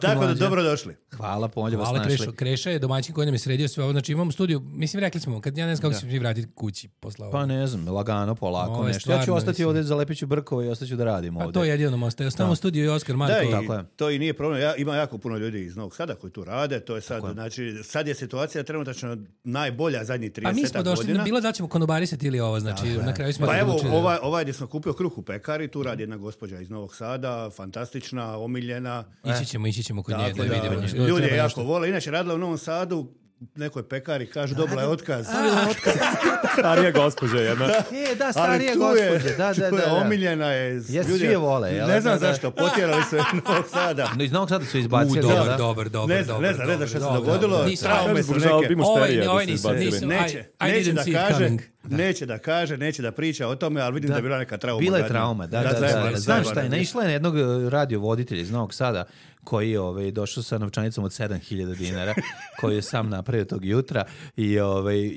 Tako da dobrodošli. Hvala, pomoći vas našli. Kreša je domaćin koji nam je sredio sve ovo. Znači imamo studiju, mislim rekli smo, kad ja ne znam kako ćemo vratiti kući posle Pa ne znam, lagano, polako nešto. Ja ću ostati ovdje, zalepit ću brkove i ostaću da radim ovdje. A to je jedino nam ostaje. Ostavamo u studiju i Oskar Marko. Da, to i nije problem. Ima jako puno ljudi iz Novog Sada koji tu rade. To je sad, znači, sad je situacija trenutačno najbolja zadnjih 30 godina. Pa mi smo došli, bilo da ćemo konobarisati ili ovo, znači na kraju smo... Pa evo, ovaj gdje smo kupio kruh u pekari, tu radi jedna gospođa iz Novog Sada, fantastična, omiljena. Ići ćemo kod nje da vidimo. Ljudi je jako vole. Inače, radila u Novom Sadu, nekoj pekari, kažu, dobila je otkaz. Starija gospođa jedna. Starija gospođa. Da. Omiljena je. Svi je vole. Ne znam zašto, potjerali su iz Novog Sada. Iz Novog Sada su izbacili. Dobar. Ne znam što se dogodilo. Traume su neke. Neće da kaže, neće da priča o tome, ali vidim da je bila neka trauma. Bila je trauma, da. Znaš šta je, naišla je na jednog radiovoditelja iz Novog Sada koji je došao sa novčanicom od 7.000 dinara, koji je sam napravio tog jutra i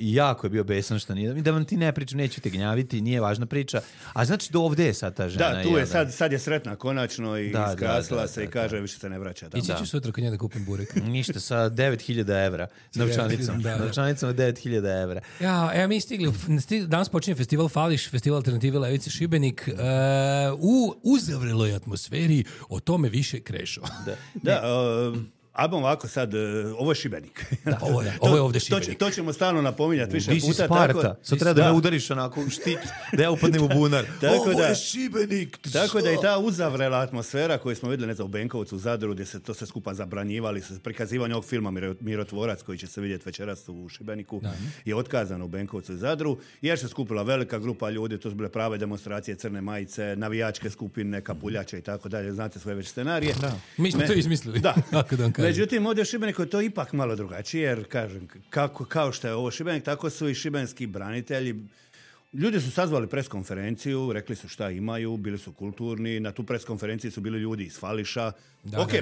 jako je bio besan što nije. Da vam ti ne pričam, neću te gnjaviti, nije važna priča. A znači do ovdje je sad ta žena. Da, tu je sad je sretna konačno i iskrasila se i kaže više se ne vraća. Ići ću sutra kod nje da kupim burek. Ništa, sa 9.000 evra novčanicom. Novčanicom od 9.000 evra. Ja, mi stigli, danas počinje festival Fališ, festival Alternative Levice Šibenik. U uzavreloj atmosferi, o tome više Krešo. Ajmo ovako sad, ovo je Šibenik. Ovo je ovdje Šibenik. To ćemo stalno napominjati više puta. Di si Sparta, sad treba da me udariš onako štit, da ja upadnem u bunar. Ovo je Šibenik. Tako da i ta uzavrela atmosfera koju smo vidjeli, ne znam, u Benkovcu, u Zadru, gdje se to sve skupa zabranjivali, prikazivanje ovog filma Mirotvorac, koji će se vidjeti večeras u Šibeniku, je otkazano u Benkovcu i Zadru, jer se skupila velika grupa ljudi, to su bile prave demonstracije, crne majice, navijačke skupine, kapuljače i tako dalje, znate sve već scenarije. Mi smo to izmislili. Da. Međutim, ovdje u Šibeniku je to ipak malo drugačije, jer kažem, kao što je ovo Šibenik, tako su i šibenski branitelji. Ljudi su sazvali preskonferenciju, rekli su šta imaju, bili su kulturni, na tu preskonferenciji su bili ljudi iz Fališa.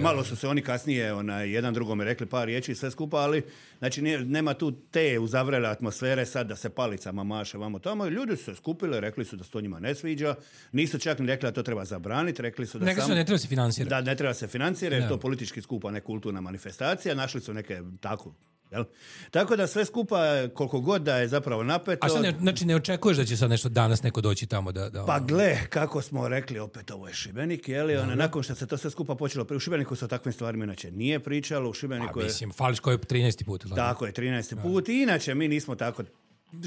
Malo su se oni kasnije jedan drugome rekli par riječi i sve skupa, ali znači nema tu te uzavrele atmosfere sad da se palicama maše vamo tamo. Ljudi su se skupili, rekli su da se to njima ne sviđa, nisu čak ni rekli da to treba zabraniti, rekli su da ne treba se financirati. Da, ne treba se financirati, jer to politički skupa, ne kulturna manifestacija, našli su neke tako. Jel? Tako da sve skupa, koliko god da je zapravo napeto... A sad znači ne očekuješ da će sad nešto danas neko doći tamo da... Pa gle, kako smo rekli, opet ovo je Šibenik, je li? Nakon što se to sve skupa počelo... U Šibeniku se o takvim stvarima inače nije pričalo, u Šibeniku je... Mislim, Fališko je 13. put. Tako je, 13. put. I inače, mi nismo tako...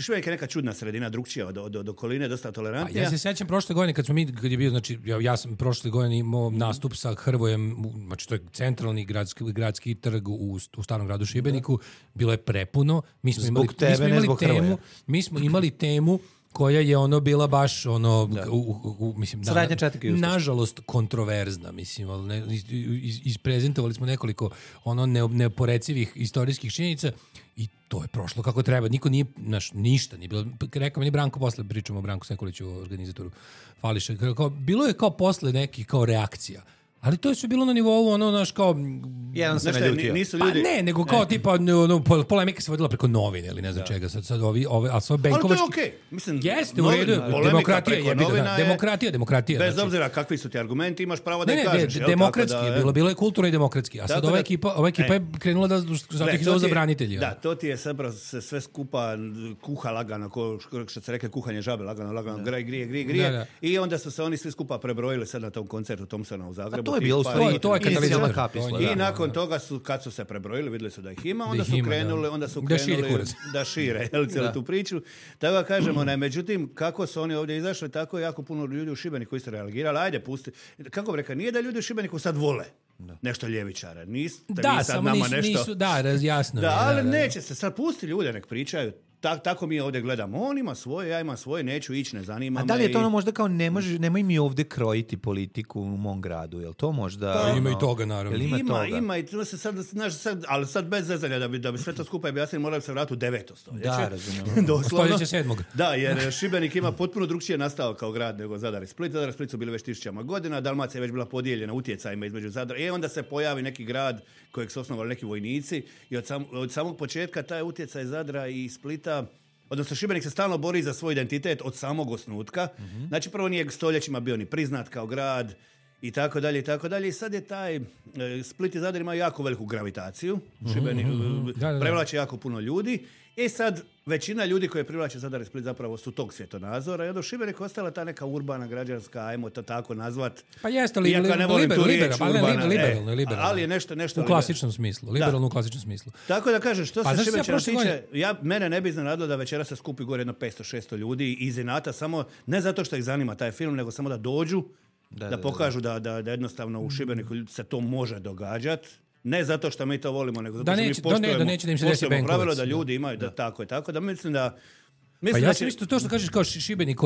Šibenik je neka čudna sredina, drugčija od okoline, dosta tolerantnija. Ja se sjećam prošle godine kad je bio, znači ja sam prošle godine imao nastup sa Hrvojem, znači to je centralni gradski trg u starom gradu Šibeniku, bilo je prepuno. Mi smo imali temu koja je bila baš mislim nažalost kontroverzna, mislim, isprezentovali smo nekoliko neoporecivih istorijskih činjenica i to je prošlo kako treba. Niko nije, ništa nije bilo. Rekao mi Branko posle, pričamo o Branku Sekuliću, organizatoru Fališa, bilo je kao posle neki kao reakcija. Ali to je sve bilo na nivou, kao... Jedan se ne ljutio. Nisu ljudi... Pa ne, nego kao tipa, polemika se vodila preko novine ili ne znam čega. Sad a sve Benkovački... Ali to je okej. Mislim, jeste, u redu. Demokratija. Bez obzira kakvi su ti argumenti, imaš pravo da je kažeš. Ne, demokratski je bilo je kulturno i demokratski. A sad ova ekipa je krenula da zato ih zove za branitelji. Da, to ti je sve skupa kuha lagano, što se reke kuhanje žabe, lagano, grije. I onda su se oni svi skupa prebrojili sad na tom koncertu Thompsona u Zagrebu. To je bilo to je katalizator. I nakon toga kad su se prebrojili, vidjeli su da ih ima, onda su krenuli da šire cijelu tu priču. Tako da kažemo, međutim, kako su oni ovdje izašli, tako je jako puno ljudi u Šibeniku koji su reagirali, ajde pusti. Kako bi rekao, nije da ljudi u Šibeniku sad vole nešto ljevičare. Samo nisu, jasno. Ali neće se sad pusti ljude, nek pričaju. Tako mi ovdje gledamo. On ima svoje, ja imam svoje, neću ići, ne zanima me. A da li je to ono možda kao nemoj mi ovdje krojiti politiku u mom gradu? Jel to možda... ima i toga, naravno. Ima i to se sad, ali sad bez zezanja, da bi sve to skupa objasnili, morali se vratiti u 9. stoljeće. Da, razumijem. Stoljeće 7. Da, jer Šibenik ima potpuno drugčije nastao kao grad nego Zadar i Split. Zadar i Split su bili već 1000 godina, Dalmacija je već bila podijeljena utjecajima između Zadra. I onda se pojavi neki grad kojeg su osnovali neki vojnici i od samog početka taj utjecaj Zadra i Splita, odnosno Šibenik se stalno bori za svoj identitet od samog osnutka. Znači, prvo nije stoljećima bio ni priznat kao grad i tako dalje, i tako dalje. I sad je taj Split i Zadar imaju jako veliku gravitaciju. Šibenik privlači jako puno ljudi. I sad većina ljudi koje privlače Zadar i Split zapravo su tog svjetonazora. I onda u Šibeniku ostala ta neka urbana, građanska, ajmo to tako nazvat. Pa jeste li liberalno. Ali je nešto u klasičnom smislu. Liberalno u klasičnom smislu. Tako da kažem, što se Šibenčana tiče, mene ne bi iznenadilo da večera se skupi gore jedno 500-600 ljudi iz inata, samo ne zato što ih zanima taj film, nego samo da dođu, da pokažu da jednostavno u Šibeniku se to može događati. Ne zato što mi to volimo, nego zato što mi poštujemo pravilo da ljudi imaju da tako je tako. Da mislim da... Pa ja sam isto to što kažeš kao Šibenik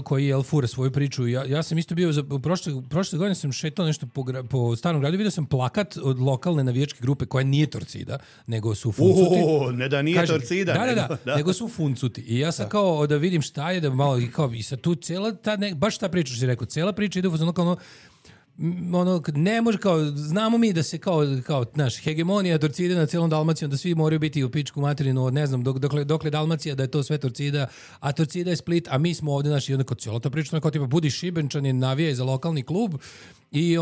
koji je fura svoju priču. Ja sam isto bio, prošle godine sam šetao nešto po Starom gradu, vidio sam plakat od lokalne navijačke grupe koja nije Torcida, nego su Funcuti. Ne da nije Torcida. Nego su Funcuti. I ja sam kao da vidim šta je, da malo, i sad tu cijela ta, baš ta priča što si rekao, cijela priča ide u ne može kao, znamo mi da se kao naš hegemonija Torcide na cijelom Dalmacijom, da svi moraju biti u pičku materinu, ne znam, dokle Dalmacija da je to sve Torcida, a Torcida je Split, a mi smo ovdje, naši, i onda kao cijela ta priča, kao tipa budi Šibenčanin, navijaj za lokalni klub i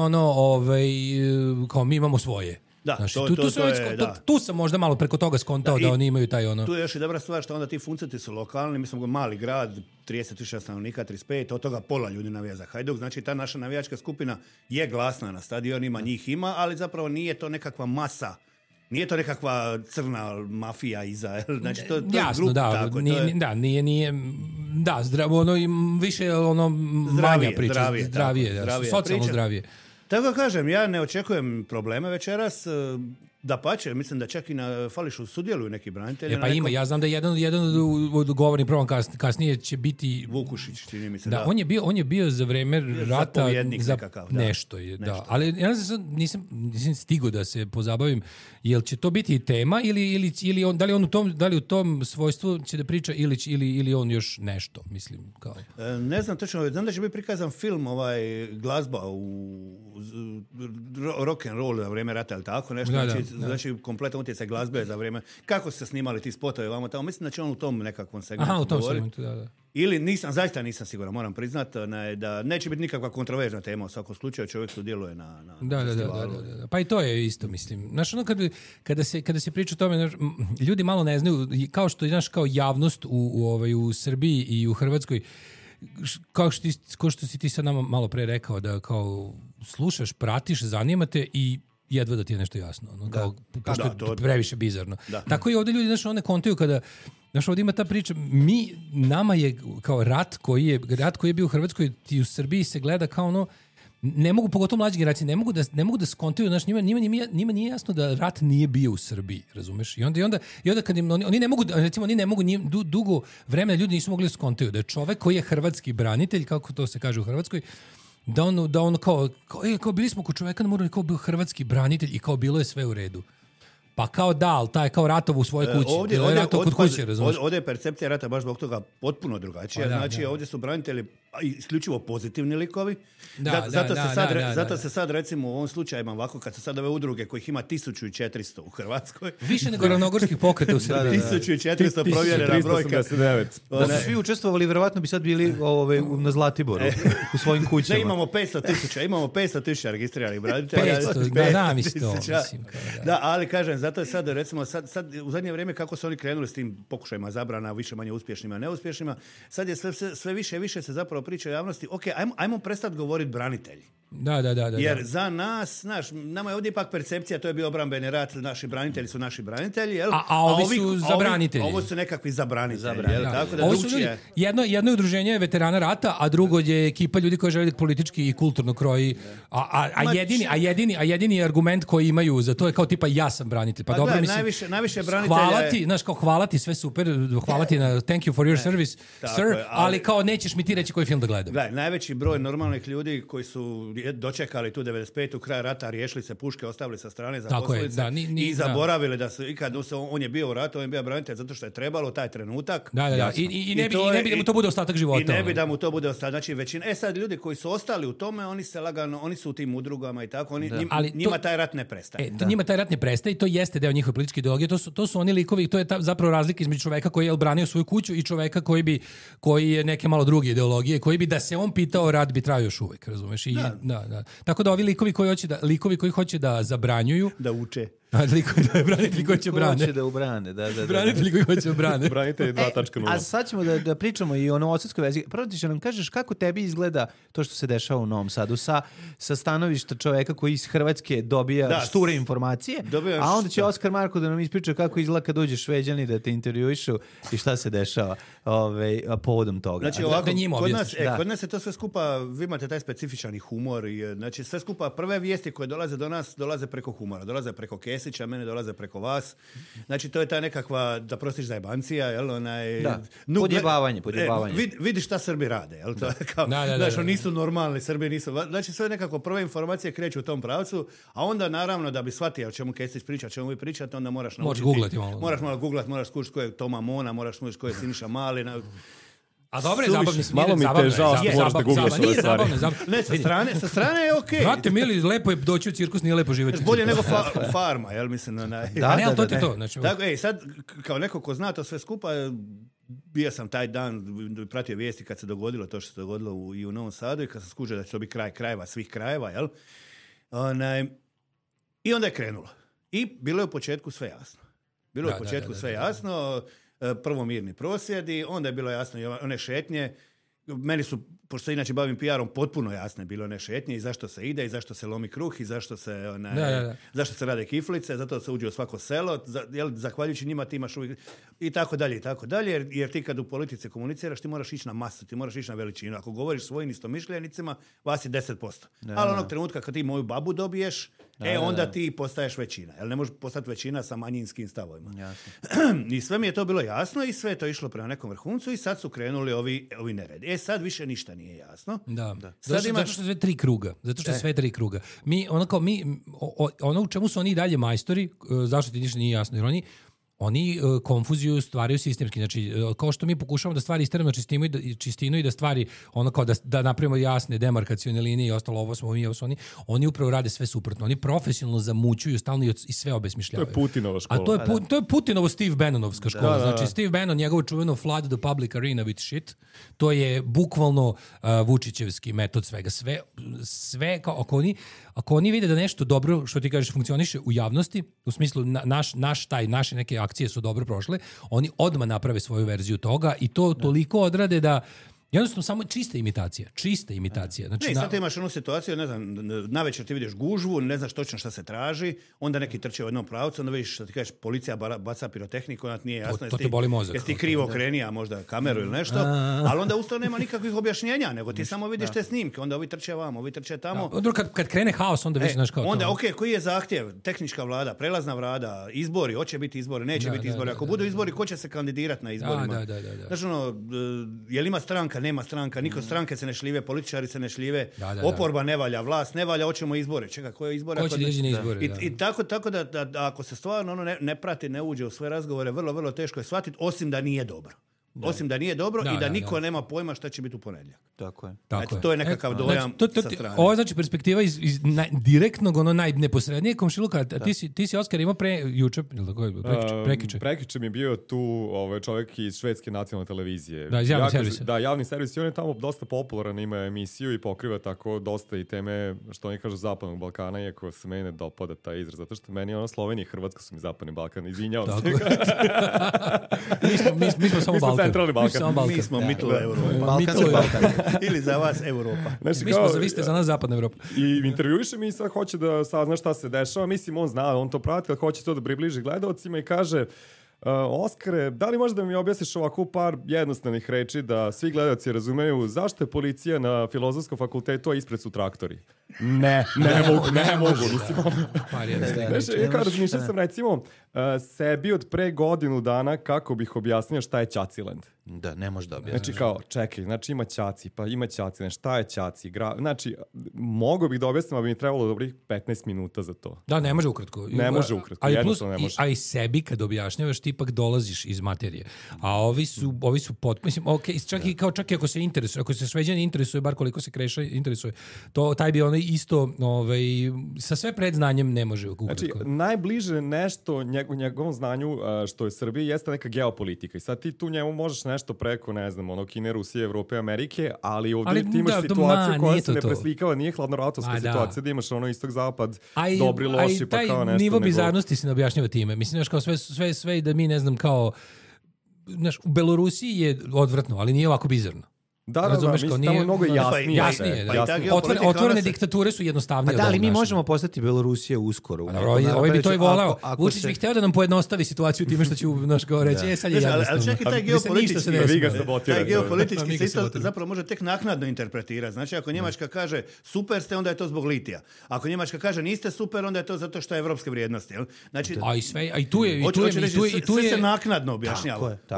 kao mi imamo svoje. Da, znači, tu sam možda malo preko toga skontao da oni imaju taj ono... Tu je još i dobra stvar što onda ti Funcuti su lokalni, mi smo mali grad, 30.000 stanovnika, 35, od toga pola ljudi navija za Hajduk, znači ta naša navijačka skupina je glasna na stadionima, njih ima, ali zapravo nije to nekakva masa, nije to nekakva crna mafija iza, znači to je grup, tako. Zdravo, više manja priča, zdravije, socijalno zdravije. Tako da kažem, ja ne očekujem probleme večeras, dapače, mislim da čak i na Fališu sudjeluju neki branitelji. Pa ima, ja znam da jedan od govornih program kasnije će biti... Vukušić, čini mi se, da. On je bio za vreme rata za nekakav, nešto. Da. Ali ja nisam stigao da se pozabavim, jel će to biti tema ili da li u tom svojstvu će da priča ili on još nešto, mislim. Kao. Ne znam točno, znam da će biti prikazan film, glazba u rock and roll za vrijeme rata ili tako nešto, znači kompletan utjecaj glazbe za vrijeme, kako su se snimali ti spotovi vamo tamo, mislim da će on u tom nekakvom segmentu u tom segmentu, da. Ili zaista nisam siguran, moram priznati da neće biti nikakva kontroverzna tema u svakom slučaju, čovjek sudjeluje na festivalu. Da. Pa i to je isto, mislim. Znaš, kada se priča o tome, ljudi malo ne znaju, kao što je kao javnost u Srbiji i u Hrvatskoj, kao što si ti sad nama malo pre rekao, da kao slušaš, pratiš, zanima te i jedva da ti je nešto jasno. Pošto je previše bizarno. Da. Tako i ovdje ljudi, znaš, one kontaju kada, znaš, ovdje ima ta priča, nama je kao rat koji je bio u Hrvatskoj i u Srbiji se gleda kao ono, ne mogu, pogotovo mlađe generacije, ne mogu da skontaju, znaš, njima nije jasno da rat nije bio u Srbiji, razumeš? I onda kad oni ne mogu, dugo vremena ljudi nisu mogli da skontaju da je čovek koji je hrvatski branitelj, kako to se kaže u Hrvatskoj, da on kao bili smo kod čoveka na moru, kao bio hrvatski branitelj i kao bilo je sve u redu. Pa kao ali taj kao ratov u svojoj kući. Ovdje je percepcija rata baš zbog toga potpuno drugačija. Ovdje su branitelji isključivo pozitivni likovi. Zato se sad recimo u ovom slučaju ovako, kad se sad ove udruge kojih ima 1400 u Hrvatskoj. Više nego ravnogorskih pokreta u Srbiji. 1400 provjerena brojka. Da su svi učestvovali, vjerovatno bi sad bili na Zlatiboru u svojim kućama. Ne, imamo 500,000 registriranih branitelja. 500, da, ali kažem, zato je sad, recimo, sad u zadnje vrijeme kako su oni krenuli s tim pokušajima zabrana, više manje uspješnima, neuspješnima, sad je sve više i više se zapravo priča o javnosti, ajmo prestati govoriti branitelji. Da. Jer za nas, znaš, nama je ovdje ipak percepcija, to je bio obrambeni rat, naši branitelji su naši branitelji, jel? A ovi su zabranitelji. Ovo su nekakvi zabranitelji, jel? Tako da drugčije. Jedno udruženje je veterana rata, a drugo je ekipa ljudi koji žele politički i kulturno kroji. A jedini argument koji imaju za to je kao tipa ja sam branitelj. Pa dobro, mislim, najviše branitelja hvala ti, sve super, hvala ti na thank you for your service, sir, ali kao nećeš mi ti reći koji film da gledam. Gledaj, najveći broj normalnih ljudi koji su dočekali tu 95. kraj rata, riješili se puške, ostavili sa strane, zaposlili se i zaboravili da su, i kad on je bio u ratu, on je bio branitelj zato što je trebalo taj trenutak. Da. I ne bi da mu to bude ostatak života. I ne bi da mu to bude ostatak. Znači, većina, sad ljudi koji su ostali u tome, oni se lagano, oni su u tim udrugama i tako, njima taj rat ne prestaje. Njima taj rat ne prestaje i to jeste deo njihove političke ideologije. To su oni likovi, to je zapravo razlika između čoveka koji je branio svoju kuću i čoveka koji je neke malo druge ideologije, koji bi da se on pitao, rat bi trajao još uvek, razumeš? Da. Tako da ovi likovi koji hoće da zabranjuju, da uče. Branitelji koji će brane. Hoće da ubrane, da. Branitelji koji hoće brane. Branitelji 2.0. A sad ćemo da pričamo i o novosadskoj vezi. Prvo ti će nam kažeš kako tebi izgleda to što se dešava u Novom Sadu sa stanovišta čoveka koji iz Hrvatske dobija šture informacije, a onda će Oskar Marko da nam ispriča kako izgleda kad dođe Šveđani da te intervjuišu i šta se dešava povodom toga. Znači ovako, kod nas je to sve skupa, vi imate taj specifičan humor, znači sve skupa prve vijesti koje dolaze do nas dolaze preko humora, dolaze preko Kesića, mene dolaze preko vas. Znači, to je ta nekakva, da prostiš zajebancija, jel? Podjebavanje. Vidi šta Srbi rade, jel? To je kao, znači, nisu normalni, Srbi nisu... Znači, sve nekako prve informacije kreću u tom pravcu, a onda, naravno, da bi shvatio o čemu Kesić priča, o čemu vi pričate, onda moraš naučiti... Moraš malo googlati, moraš skušati ko je Toma Mona, moraš skušati ko je Siniša Mali... A dobro je zabavni smir. Malo mi te žao što možeš da googlaš ove stvari. Ne, sa strane je okej. Brate, mili, lepo je doći u cirkus, nije lepo živjeti. Bolje nego farma, jel mislim. Da, to ti to. Tako, sad, kao neko ko zna to sve skupa, bio sam taj dan, pratio vijesti kad se dogodilo to što se dogodilo i u Novom Sadu i kad sam skužio da će to biti kraj krajeva, svih krajeva, jel? I onda je krenulo. I bilo je u početku sve jasno. Prvo mirni prosvjedi, onda je bilo jasno i one šetnje. Meni su, pošto se inače bavim PR-om, potpuno jasne bilo one šetnje i zašto se ide i zašto se lomi kruh i zašto se zašto se rade kiflice, zato se uđe u svako selo, zahvaljujući njima ti imaš uvijek i tako dalje, jer ti kad u politici komuniciraš, ti moraš ići na masu, ti moraš ići na veličinu. Ako govoriš svojim istomišljenicima, vas je 10%. Ali onog trenutka kad ti moju babu dobiješ, onda ti postaješ većina. Jel ne možeš postati većina sa manjinskim stavovima. I sve mi je to bilo jasno i sve je to išlo prema nekom vrhuncu i sad su krenuli ovi neredi. Sad više ništa nije jasno. Da. Zato što sve tri kruga. Ono u čemu su oni dalje majstori, zašto ti ništa nije jasno, jer oni konfuziju stvaraju sistemski. Znači, kao što mi pokušavamo da stvari isteramo čistinu i da stvari, ono kao da napravimo jasne demarkacione linije i ostalo, ovo smo mi, ovo su oni upravo rade sve suprotno. Oni profesionalno zamućuju stalno i sve obesmišljavaju. To je Putinova škola. A to je Putinovo Steve Bannonovska škola. Znači, Steve Bannon, njegovo čuveno flood the public arena with shit, to je bukvalno Vučićevski metod svega. Sve kao, ako oni vide da nešto dobro, što ti kažeš, funkcioniše u javnosti, u smislu naše neke akcije su dobro prošle, oni odmah naprave svoju verziju toga i to toliko odrade da jednostavno samo čista imitacija. Znači, sad imaš onu situaciju, ne znam, navečer ti vidiš gužvu, ne znaš točno šta se traži, onda neki trče u jednom pravcu, onda vidiš što ti kažeš, policija baca pirotehniku, onda nije jasno. To te boli mozak. Jesi ti krivo okrenija možda kameru ili nešto, ali onda usto nema nikakvih objašnjenja, nego ti samo vidiš te snimke, onda ovi trče vamo, ovi trče tamo. Kad krene haos, onda vidiš znaš kao onda, koji je zahtjev? Tehnička vlada, prelazna vlada, izbori, hoće biti izbori, neće biti izbori. Ako budu izbori, ko će se kandidirati na izborima? Znači, je li ima stranka, nema stranka, niko stranke se ne šljive, političari se ne šljive, oporba ne valja, vlast ne valja, hoćemo izbore. Čekaj, koje izbore? Ko će doći na izbore? I tako da ako se stvarno ne prati, ne uđe u sve razgovore, vrlo, vrlo teško je shvatiti, osim da nije dobro. Osim da nije dobro i da niko nema pojma šta će biti u ponedjeljak. Tako je. To je nekakav dojam sa strane. Ovo je znači perspektiva iz direktnog, najneposrednijeg komšiluka. Ti si Oskar imao juče, prekiče. Prekiče mi je bio tu čovjek iz švedske nacionalne televizije. Da, iz javnog servisa. Da, javni servis. I on je tamo dosta popularan, ima emisiju i pokriva tako dosta i teme, što oni kažu, Zapadnog Balkana, iako se meni ne dopada taj izraz, zato što meni Slovenija i Hrvatska su mi Zapadni Balkan. Izvinjavam se. Mi smo samo Balkan. Centralni Balkan. Mi smo Mittel Euro. Balkanski Balkan. Ili za vas Europa. Znači, Vi ste za nas zapadna Evropa. I intervjuiše mi i sad hoće da sazna šta se dešava. Mislim, on zna, on to prati, kad hoće to da približi gledalcima i kaže... Oskare, da li možeš da mi objasniš ovako par jednostavnih reči da svi gledalci razumeju zašto je policija na filozofskom fakultetu, a ispred su traktori? Ne mogu. Mislim, kao razmišljam sam recimo sebi od pre godinu dana kako bih objasnio šta je Ćaciland. Da, ne može da objasniš. Znači kao, čekaj, znači ima Ćaci, pa ima Ćaci, šta je Ćaci? Znači, mogu bih da objasnim, ali bi mi trebalo dobrih 15 minuta za to. Da, ne može ukratko. Ne može ukratko, jednostavno ne može. A i sebi kad objašnjavaš, ti ipak dolaziš iz materije. A ovi su mislim, čak i ako se interesuje, ako se Šveđani interesuje, bar koliko se Kreša interesuje, taj bi onaj isto, sa sve predznanjem ne može ukratko. Znači, najbliže nešto njegovom znanju što je Srbija jeste neka geopolitika. I sad ti tu njemu možeš nešto preko, ne znam, Kine, Rusije, Evrope, Amerike, ali ovdje ti imaš situaciju koja se ne preslikava, nije hladnoratovska situacija, da imaš istok-zapad, dobri, loši, pa kao nešto. Nivo bizarnosti se ne objašnjava time. Mislim, znaš, kao sve da mi, ne znam, kao, znaš, u Belorusiji je odvratno, ali nije ovako bizarno. Da, mislim, tamo mnogo jasnije. Otvorene diktature su jednostavnije. Da, ali mi možemo postati Belorusija uskoro. Ovaj bi to i volao. Vučić bi hteo da nam pojednostavi situaciju time što će naš kao reći, sad je jednostavno. Ali čekaj, taj geopolitički se isto zapravo može tek naknadno interpretirati. Znači, ako Njemačka kaže super ste, onda je to zbog litija. Ako Njemačka kaže niste super, onda je to zato što je evropske vrijednosti. Znači, a i tu je... Sve se naknadno objašnjava. Da.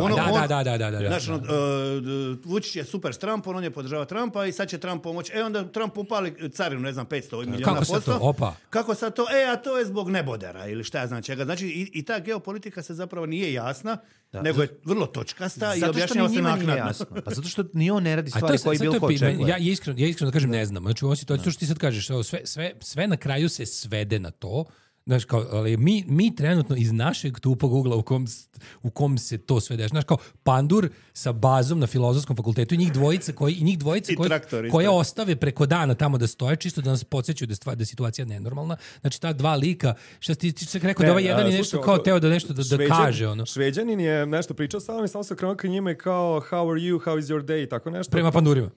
Vučić je super s Trumpom, on je podržava Trumpa i sad će Trump pomoći. Onda Trump upali carinu, ne znam, 500 milijuna posto. Kako sad to? A to je zbog nebodera ili šta ja znam čega. Znači i ta geopolitika se zapravo nije jasna, nego je vrlo točkasta i objašnjava se naknadno. Pa zato što ni on ne radi stvari koje bilo ko očekuje. Ja iskreno da kažem ne znam. Znači u ovom situaciju što ti sad kažeš, sve na kraju se svede na to. Znaš, kao, ali mi trenutno iz našeg tupog ugla u kom se to sve dešava. Znaš, kao Pandur sa bazom na filozofskom fakultetu i njih dvojica koje ostave preko dana tamo da stoje, čisto da nas podsjećaju da je situacija nenormalna. Znači, ta dva lika, što ti rekao da ovaj jedan je nešto kao teo da nešto da kaže. Ono. Šveđanin je nešto pričao sa mnom i samo se krenuo ka njima i kao how are you, how is your day, tako nešto.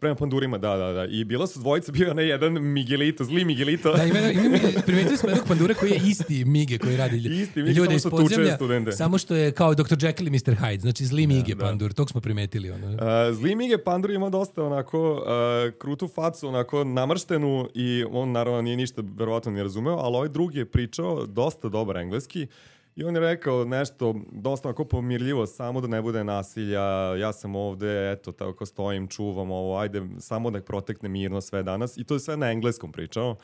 Prema Pandurima, da. I bila su dvojica, bio onaj jedan Miguelito, zli Miguelito. Da, primetili smo jednog Pandura koji je isti Mige koji radi ljude iz podzemlja, samo što je kao Dr. Jekyll i Mr. Hyde, znači zli Mige Pandur, tog smo primetili. Zli Mige Pandur ima dosta onako krutu facu, onako namrštenu i on naravno nije ništa verovatno ne razumeo, ali ovaj drugi je pričao dosta dobar engleski i on je rekao nešto dosta onako pomirljivo, samo da ne bude nasilja, ja sam ovde, eto, tako stojim, čuvam ovo, ajde, samo da protekne mirno sve danas i to je sve na engleskom pričao.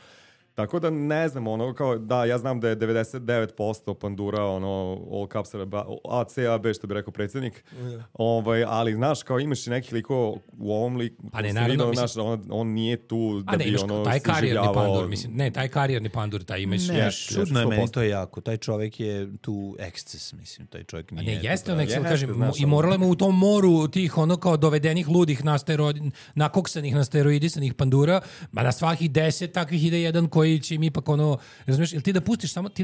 Tako da ne znam, kao, da, ja znam da je 99% Pandura, all caps A, C, A, B, što bi rekao predsjednik, ali, znaš, kao imaš i nekih likova u ovom liku, on nije tu da bi, taj karijerni Pandur, mislim, ne, taj karijerni Pandur, taj imaš... Ne, čudno je meni, to je jako, taj čovjek je tu eksces, mislim, taj čovjek nije... Ne, jeste on eksces, kažem, i moramo u tom moru tih, kao dovedenih ludih, nakoksanih, nasteroidisanih Pandura, na svakih 10 takvih ide jedan koji će im ipak razumiješ, ili ti da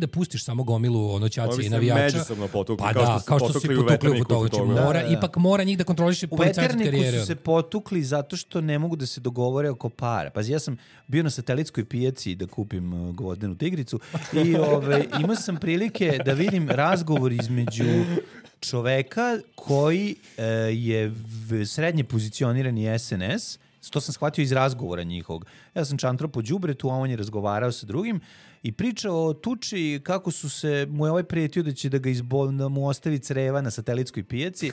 pustiš samo gomilu ćaci i navijača. Međusobno potukli, kao što se potukli u toga. Ipak mora njih da kontroliše policajske karijere. U Veterniku su se potukli zato što ne mogu da se dogovore oko para. Pazi, ja sam bio na satelitskoj pijaci da kupim gvozdenu tigricu i imao sam prilike da vidim razgovor između čoveka koji je srednje pozicionirani SNS. To sam shvatio iz razgovora njihovog. Ja sam čantro po đubretu, a on je razgovarao sa drugim i pričao o tuči kako mu je ovaj prijetio da će da mu ostavi creva na satelitskoj pijaci,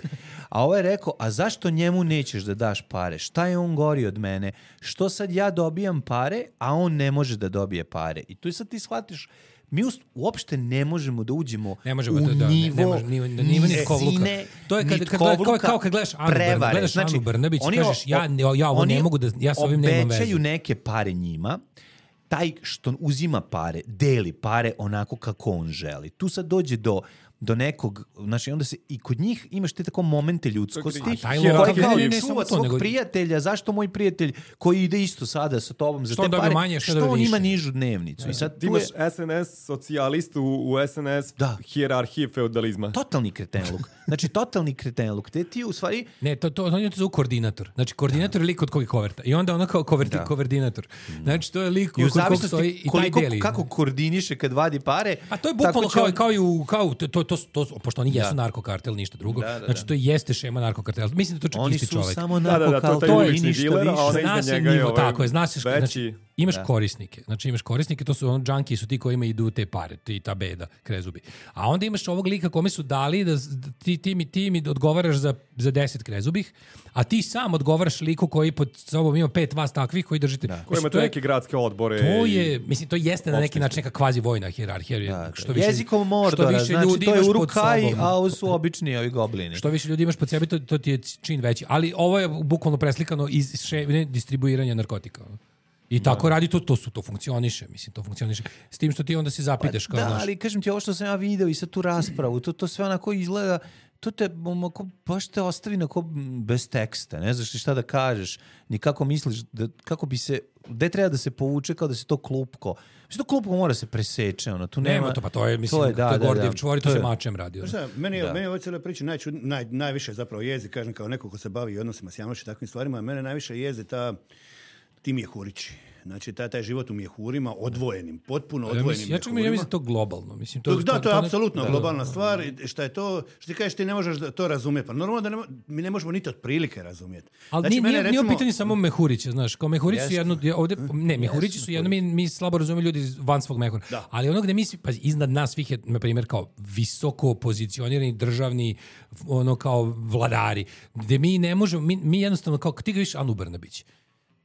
a ovaj je rekao, a zašto njemu nećeš da daš pare? Šta je on gori od mene? Što sad ja dobijam pare, a on ne može da dobije pare? I tu sad ti shvatiš, mi uopšte ne možemo da uđemo u nivo nizine, to je kao kad gledaš Anu Brnabić, kažeš ja ovo ne mogu da, ja s ovim nemam vezu. Obećaju neke pare njima, taj što uzima pare, deli pare onako kako on želi. Tu sad dođe do do nekog, znači onda se i kod njih imaš te tako momente ljudskosti koji kao čuva svog prijatelja, zašto moj prijatelj koji ide isto sada sa tobom za te pare, manje, što on ima nižu dnevnicu. I sad ti imaš SNS socijalistu u SNS hijerarhije feudalizma. Totalni kretenluk. Znači, totalni kretenluk. Te ti u stvari... Ne, to zove koordinator. Znači, koordinator je lik od kojeg koverta. I onda ono kao koordinator. Znači, to je lik kod kog stoji i taj deli. Kako koordiniše kad vadi pare. A to je bukvalno kao pošto oni jesu narkokartel, ništa drugo. Znači, to jeste šema narkokartela. Mislim da to čak isti čovek. Oni su samo narkokartel. To je ništa više. Zna se nivo, tako je. Zna se, znači, imaš korisnike. Znači, imaš korisnike, to su džanki, su ti kojima idu te pare, ti ta beda, krezubi. A onda imaš ovog lika kome su dali da ti mi odgovaraš za 10 krezubih, a ti sam odgovaraš liku koji pod sobom ima 5 vas takvih koji držite. Koji imate neke gradske odbore. To je, mislim, to jeste na neki način neka kvazi vojna hijerarhija. Jezikom Mordora, znači to je Urukaj, a ovo su obični ovi goblini. Što više ljudi imaš pod sebi, to ti je čin veći. Ali ovo je bukvalno preslikano iz distribuiranja narkotika. I tako radi to funkcioniše, mislim, to funkcioniše. S tim što ti onda se zapitaš kao naš. Ali kažem ti ovo što sam ja video i sad tu raspravu, to sve onako izgleda, to te baš te ostavi onako bez teksta, ne znaš šta da kažeš, ni kako misliš, kako bi se, gde treba da se povuče kao da se to klupko. Mislim, to klupko mora se preseče, ono, tu nema to, pa to je, mislim, to je Gordijev čvor, to se mačem radi. Meni je ovo cijela priča najviše zapravo jezi, kažem, kao neko ko se bavi odnosima s javnošću i takvim stvarima, mene najviše jezi ti mjehurići. Znači, taj život u mjehurima, odvojenim, potpuno odvojenim mjehurima. Ja mislim to globalno. Mislim, to je apsolutno globalna stvar. Šta je to, što ti kažeš, ti ne možeš to razumjeti. Pa normalno da mi ne možemo niti otprilike razumjeti. Ali znači, nije u pitanju samo mehurića, znaš. Kao mehurići su jedno, mehurići su jedno, mi slabo razumiju ljudi van svog mehura. Ali ono gde mi, pa iznad nas svih je, na primjer, kao visoko pozicionirani državni, ono kao vladari, gde mi ne možemo, mi jednostavno, kao ti ga viš Anu Brnabić,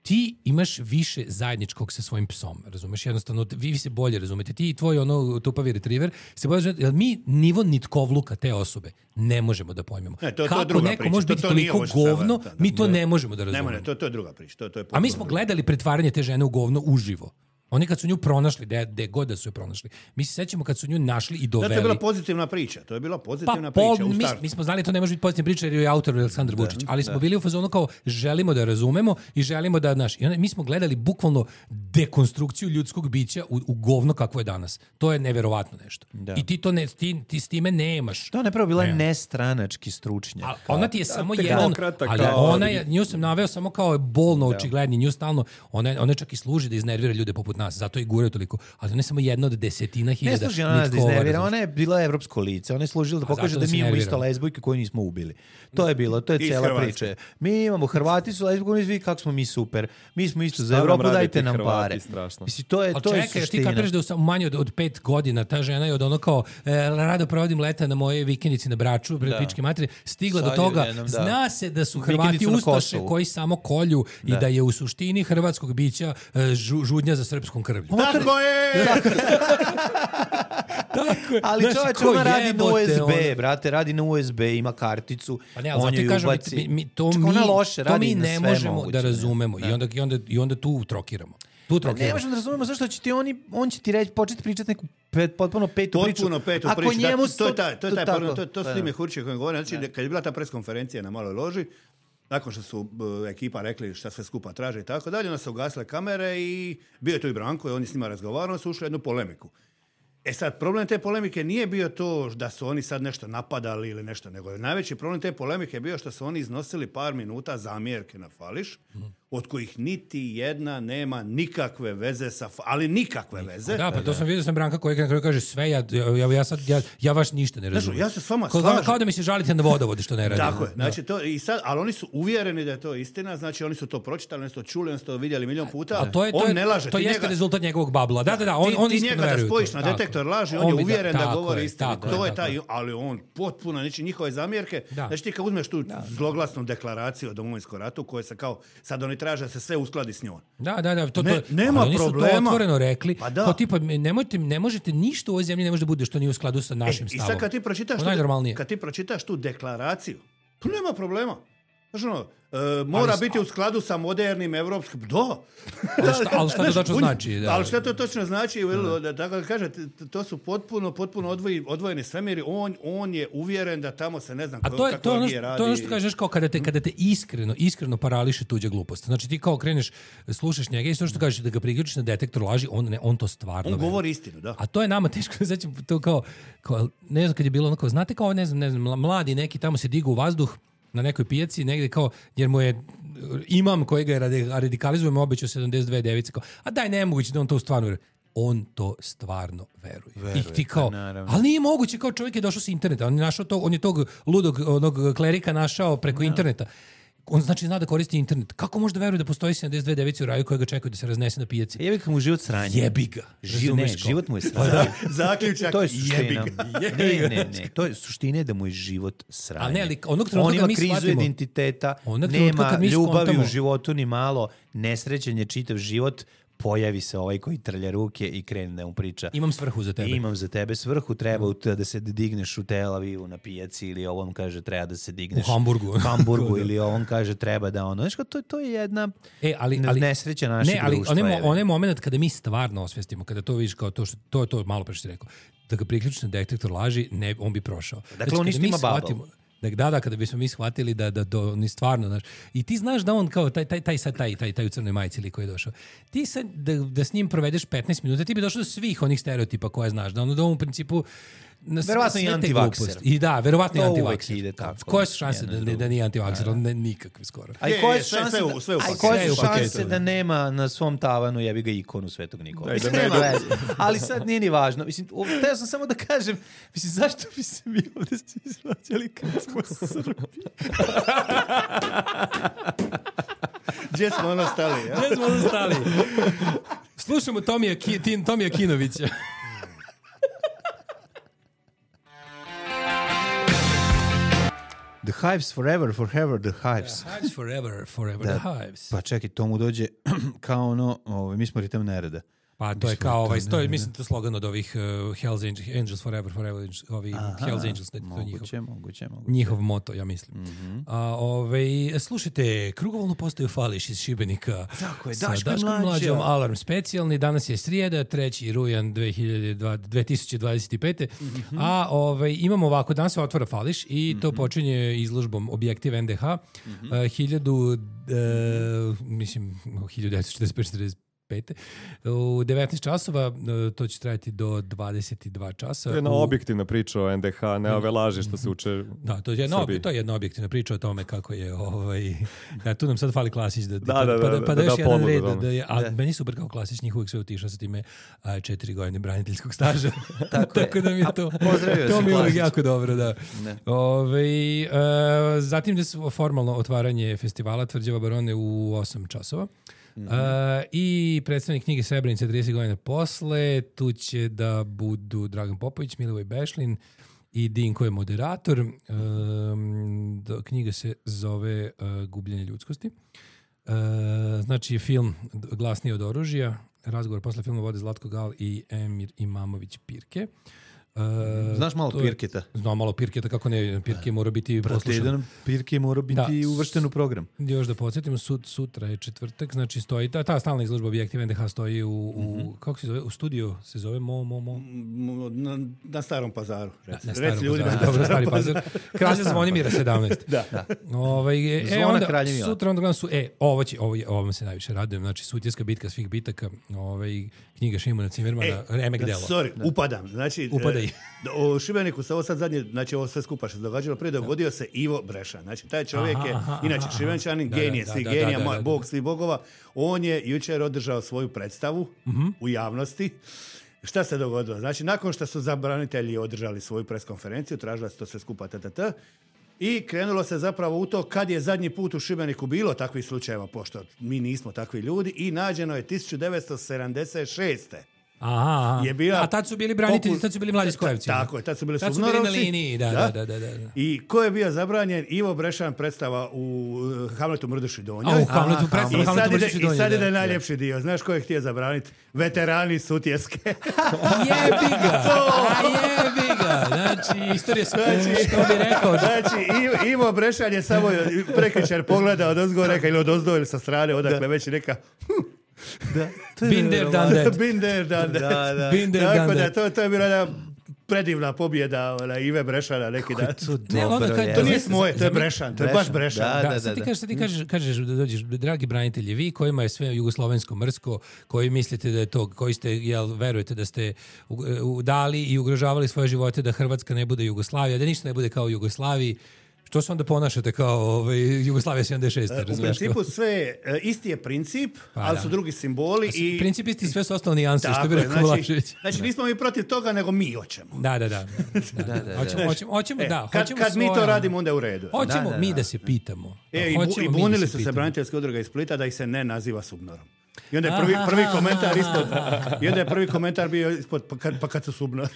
ti imaš više zajedničkog sa svojim psom, razumeš? Jednostavno, vi se bolje razumete. Ti i tvoj tupavi retriver se bolje razumete, jer mi nivo nitkovluka te osobe ne možemo da pojmemo. Kako neko može biti toliko govno, mi to ne možemo da razumemo. Ne, to je druga priča. A mi smo gledali pretvaranje te žene u govno uživo. Oni kad su nju pronašli, gde god da su je pronašli. Mi se sećamo kad su nju našli i doveli. To je bila pozitivna priča. priča. Mi smo znali to ne može biti pozitivna priča jer je autor Aleksandar Vučić. Ali smo bili u fazonu kao želimo da razumemo i želimo da I onda mi smo gledali bukvalno dekonstrukciju ljudskog bića u govno kakvo je danas. To je neverovatno nešto. Da. I ti s time nemaš. To je nepravo bila nestranački stručnjak. Ona ti je samo jedan, ali nju sam naveo samo kao bolno očigledni. Nju stalno, ona čak i služi da iznervira ljude poput nas, zato i guraju toliko. Ali ona je samo jedna od 10.000. Ne služi ona da iznervira, ona je bila evropsko lice, ona je služila da pokaže da mi imamo isto lezbojke koje nismo ubili. To je bilo, to je cijela priča. Mi imamo, Hrvati su lezbojke, vi kako smo mi super. Mi smo isto za Evropu, dajte nam pare. Mislim, to je suština. Ti kapiraš da u manje od 5 godina ta žena je od ono kao rado provodim leta na moje vikendici na Braču, pred pičke materije, stigla do toga, zna se da su Hrvati ustaše koji samo kolju i da je u suštini hrvatskog bića žudnja za srpskom krvlju. Tako je! Ali čovječ, ona radi na USB, brate, radi na USB, ima karticu, on je ubaci. Ona loše radi na sve moguće. To mi ne možemo da razumemo i onda tu trokiramo. Ne možemo da razumemo zašto će ti on će ti reći, početi pričati neku potpuno petu priču. Ako njemu to su ti mehurići koji govore. Znači, kad je bila ta preskonferencija na Maloj loži, nakon što su ekipa rekli šta sve skupa traže i tako dalje, onda su ugasile kamere i bio je tu i Branko i on je s njima razgovarao, su ušli u jednu polemiku. Sad, problem te polemike nije bio to da su oni sad nešto napadali ili nešto, nego najveći problem te polemike je bio što su oni iznosili par minuta zamjerke na Fališ, od kojih niti jedna nema nikakve veze ali nikakve veze. Da, pa to sam vidio Branka koji na kraju kaže sve, ja vaš ništa ne razumijem. Ja se s vama slažem. Kao da mi se žalite na vodovode što ne radim. Tako je, znači to i sad, ali oni su uvjereni da je to istina, znači oni su to pročitali, oni su to čuli, oni su to vidjeli milion puta. On ne laže. To jeste rezultat njegovog babla. Da, on ti njega da spojiš na detektor laži, on je uvjeren da govori istinu. To je taj, ali on potpuno, znači njihove zamjerke, znači ti kad uzmeš tu zloglasnu deklaraciju o Domovinskom ratu, koje se kao, sad oni traže da se sve uskladi s njom. Da, nema oni problema. Su to otvoreno rekli, kao tipa, ne možete ništa u ovoj zemlji, ne može da bude što nije u skladu sa našim stavom. I sad kad ti pročitaš tu deklaraciju, tu nema problema. Mora biti u skladu sa modernim evropskim... Ali šta to točno znači? Ali šta to točno znači? Tako da kažete, to su potpuno odvojeni svemiri. On je uvjeren da tamo se ne znam kako radi. To je ono što kažeš kao kada te iskreno parališe tuđa glupost. Znači ti kao kreneš, slušaš njega i što kažeš da ga priključiš na detektor laži, on to stvarno... On govori istinu, da. A to je nama teško, znači to kao ne znam kad je bilo onako, znate kao ne znam, mladi neki tamo se digu u vazduh na nekoj pijaci, negde kao, jer mu je imam kojega radikalizujemo obećao 72 device, kao, a daj nemoguće da on to stvarno veruje. On to stvarno veruje. I ti kao, ali nije moguće, kao čovjek je došao s interneta, on je tog ludog onog klerika našao preko interneta. On znači zna da koristi internet. Kako može da veruje da postoji 72 device u raju koje ga čekaju da se raznese na pijaci? Jebi ga mu život sranje. Jebi ga. Život mu je sranje. Zaključak, to je suština. Ne. To je suština da mu je život sranje. A ne, ali onog trenutka mi shvatimo. On ima krizu identiteta, nema ljubavi u životu ni malo, nesrećen je čitav život, pojavi se ovaj koji trlja ruke i krene da mu priča. Imam svrhu za tebe. Imam za tebe svrhu, treba da se digneš u Tel Avivu na pijaci ili ovom kaže treba da se digneš u Hamburgu ili ovom kaže treba da ono. Znaš kao, to je jedna nesreća našeg društva. Ne, ali onaj moment kada mi stvarno osvestimo, kada to vidiš kao to malo pre što si rekao, da ga priključiš na detektor laži, on bi prošao. Dakle, on isto ima babal. Da, kada bismo mi shvatili da ni stvarno, znaš, i ti znaš da on kao taj u crnoj majici ili koji je došao, ti sad da s njim provedeš 15 minuta, ti bi došao do svih onih stereotipa koje znaš, da on u principu verovatno i antivakser. I da, verovatno i antivakser. Koje su šanse da nije antivakser? Nikakve skoro. A koje su šanse da nema na svom tavanu jebi ga ikonu Svetog Nikola? Ali sad nije ni važno. Mislim, teo sam samo da kažem, mislim, zašto bi se mi ovdje izvlačali kad smo Srbi? Gdje smo ono stali? Slušamo Tomija Kinovića. The Hives forever, the Hives. The Hives forever, the Hives. Pa čekaj, to mu dođe kao ono, mi smo ritem nereda. Pa to je kao, mislim to slogan od ovih Hells Angels forever, ovi Hells Angels. Moguće. Njihov moto, ja mislim. Slušajte, krugovalnu postaju Fališ iz Šibenika. Tako je, Daškom mlađom, alarm specijalni. Danas je srijeda, 3. rujan 2025. A imamo ovako, danas se otvara Fališ i to počinje izložbom Objektiv NDH. 1945-45. U 19 časova, to će trajati do 22 časa. To je jedna objektivna priča o NDH, ne ove laži što se uče da, to je jedna objektivna priča o tome kako je tu nam sad fali Klasić pa da još jedan red a meni super kao Klasić, njih uvijek sve utiša sa time 4 godine braniteljskog staža. Tako da mi je to mi je uvijek jako dobro, da. Zatim da su formalno otvaranje festivala Tvrđava Barone u 8 časova. I predstavnik knjige Srebrenica 30 godina posle, tu će da budu Dragan Popović, Milivoj Bešlin i Dinko je moderator. Knjiga se zove Gubljenje ljudskosti. Znači film Glasniji od oružja, razgovor posle filma vode Zlatko Gal i Emir Imamović Pirke. Znaš malo Pirketa? Znam malo Pirketa, kako ne, Pirke mora biti poslušan. Pirke mora biti uvršten u program. Još da podsjetimo, sutra je četvrtak, znači stoji, ta stalna izložba Objektiv NDH stoji kako se zove, u studiju se zove Na Starom Pazaru. Reci ljudima. Dobro, Stari Pazar. Kralja Zvonimira 17. Da. Zvona Kraljevina. Sutra onda gledam ovo me se najviše radujem, znači Sutjeska bitka svih bitaka, knjiga Šimuna Cimermana, remek delo. Upadam, znači u Šibeniku se ovo sad zadnje, znači ovo sve skupa što se događalo prije, dogodio se Ivo Brešan. Znači taj čovjek je, inače Šibenčanin, genije svih genija, bog svih bogova. On je jučer održao svoju predstavu u javnosti. Šta se dogodilo? Znači, nakon što su zabranitelji održali svoju preskonferenciju, tražila se to sve skupa i krenulo se zapravo u to kad je zadnji put u Šibeniku bilo takvih slučajeva, pošto mi nismo takvi ljudi, i nađeno je 1976. Aha. A tad su bili branitelji, tad su bili mladi Skojevci. Tako je, tad su bili Suvnorovci. Tad su bili na liniji, da. I ko je bio zabranjen? Ivo Brešan predstava u Hamletu Mrduši Donjoj. U Hamletu Mrduši Donjoj. I sad ide najljepši dio. Znaš ko je htio zabraniti? Veterani Sutjeske. Jebi ga! Znači, istorija što bi rekao. Znači, Ivo Brešan je samo prekričar pogleda od ozgo reka ili od ozdo ili sa strane, odakle već neka... Been there, done that. Been there, done that. Tako da, to je bila jedna predivna pobjeda Ive Brešana neki dan. To nije moje, to je Brešan, to je baš Brešan. Da. Sad ti kažeš da dođeš, dragi branitelji, vi kojima je sve jugoslovensko mrsko, koji mislite da je to, koji ste, verujete da ste dali i ugrožavali svoje živote da Hrvatska ne bude Jugoslavija, da ništa ne bude kao u Jugoslaviji, što se onda ponašate kao Jugoslavija 76. U principu sve, isti je princip, ali su drugi simboli. Princip isti, sve su ostalo nijanse, što bi rekao Vlašević. Znači nismo mi protiv toga, nego mi hoćemo. Da. Hoćemo, da. Kad mi to radimo, onda je u redu. Hoćemo mi da se pitamo. I bunili su se braniteljske udruge iz Splita da ih se ne naziva Subnorom. I onda je prvi komentar ispod. I onda je prvi komentar bio ispod, pa kad su Subnor.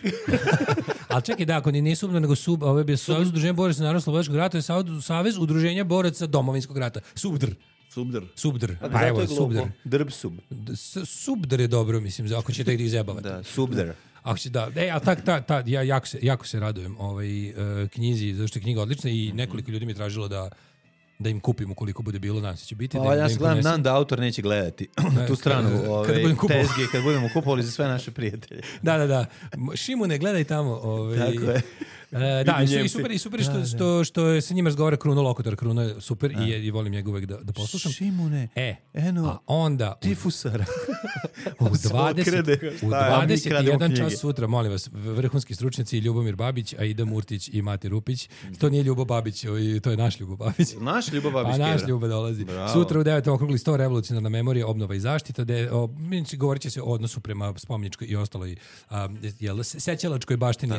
Ali čekaj, da, ako nije Subnor, nego ovo je bio Savez udruženja boraca Narodno-slobodačkog rata, je Savez udruženja boraca Domovinskog rata. Subdr. Pa evo, Subdr. Drb sub. Subdr je dobro, mislim, ako ćete ih izjebavati. Da, Subdr. Ako će da, ja jako se radujem knjizi, zato što je knjiga odlična i nekoliko ljudi mi je tražilo da im kupim ukoliko bude bilo, nadam se će biti. Ja se gledam da autor neće gledati tu stranu tezge kad budemo kupovali za sve naše prijatelje. Da. Šimune, gledaj tamo. Tako je. I super što je sa njima razgovara Kruno Lokotar. Kruno je super i volim njega uvek da poslušam. Šimune, a onda tifusara. U 21 čas sutra, molim vas, vrhunski stručnjaci Ljubomir Babić, Aida Murtić i Mate Rupić. To nije Ljubo Babić, to je naš Ljubo Babić. Naš Ljubo Babić. Naš Ljubo dolazi. Bravo. Sutra u 9 okrugli 100 revolucionarna memorija, obnova i zaštita. Govorit će se o odnosu prema spomeničkoj i ostaloj sećalačkoj baštini,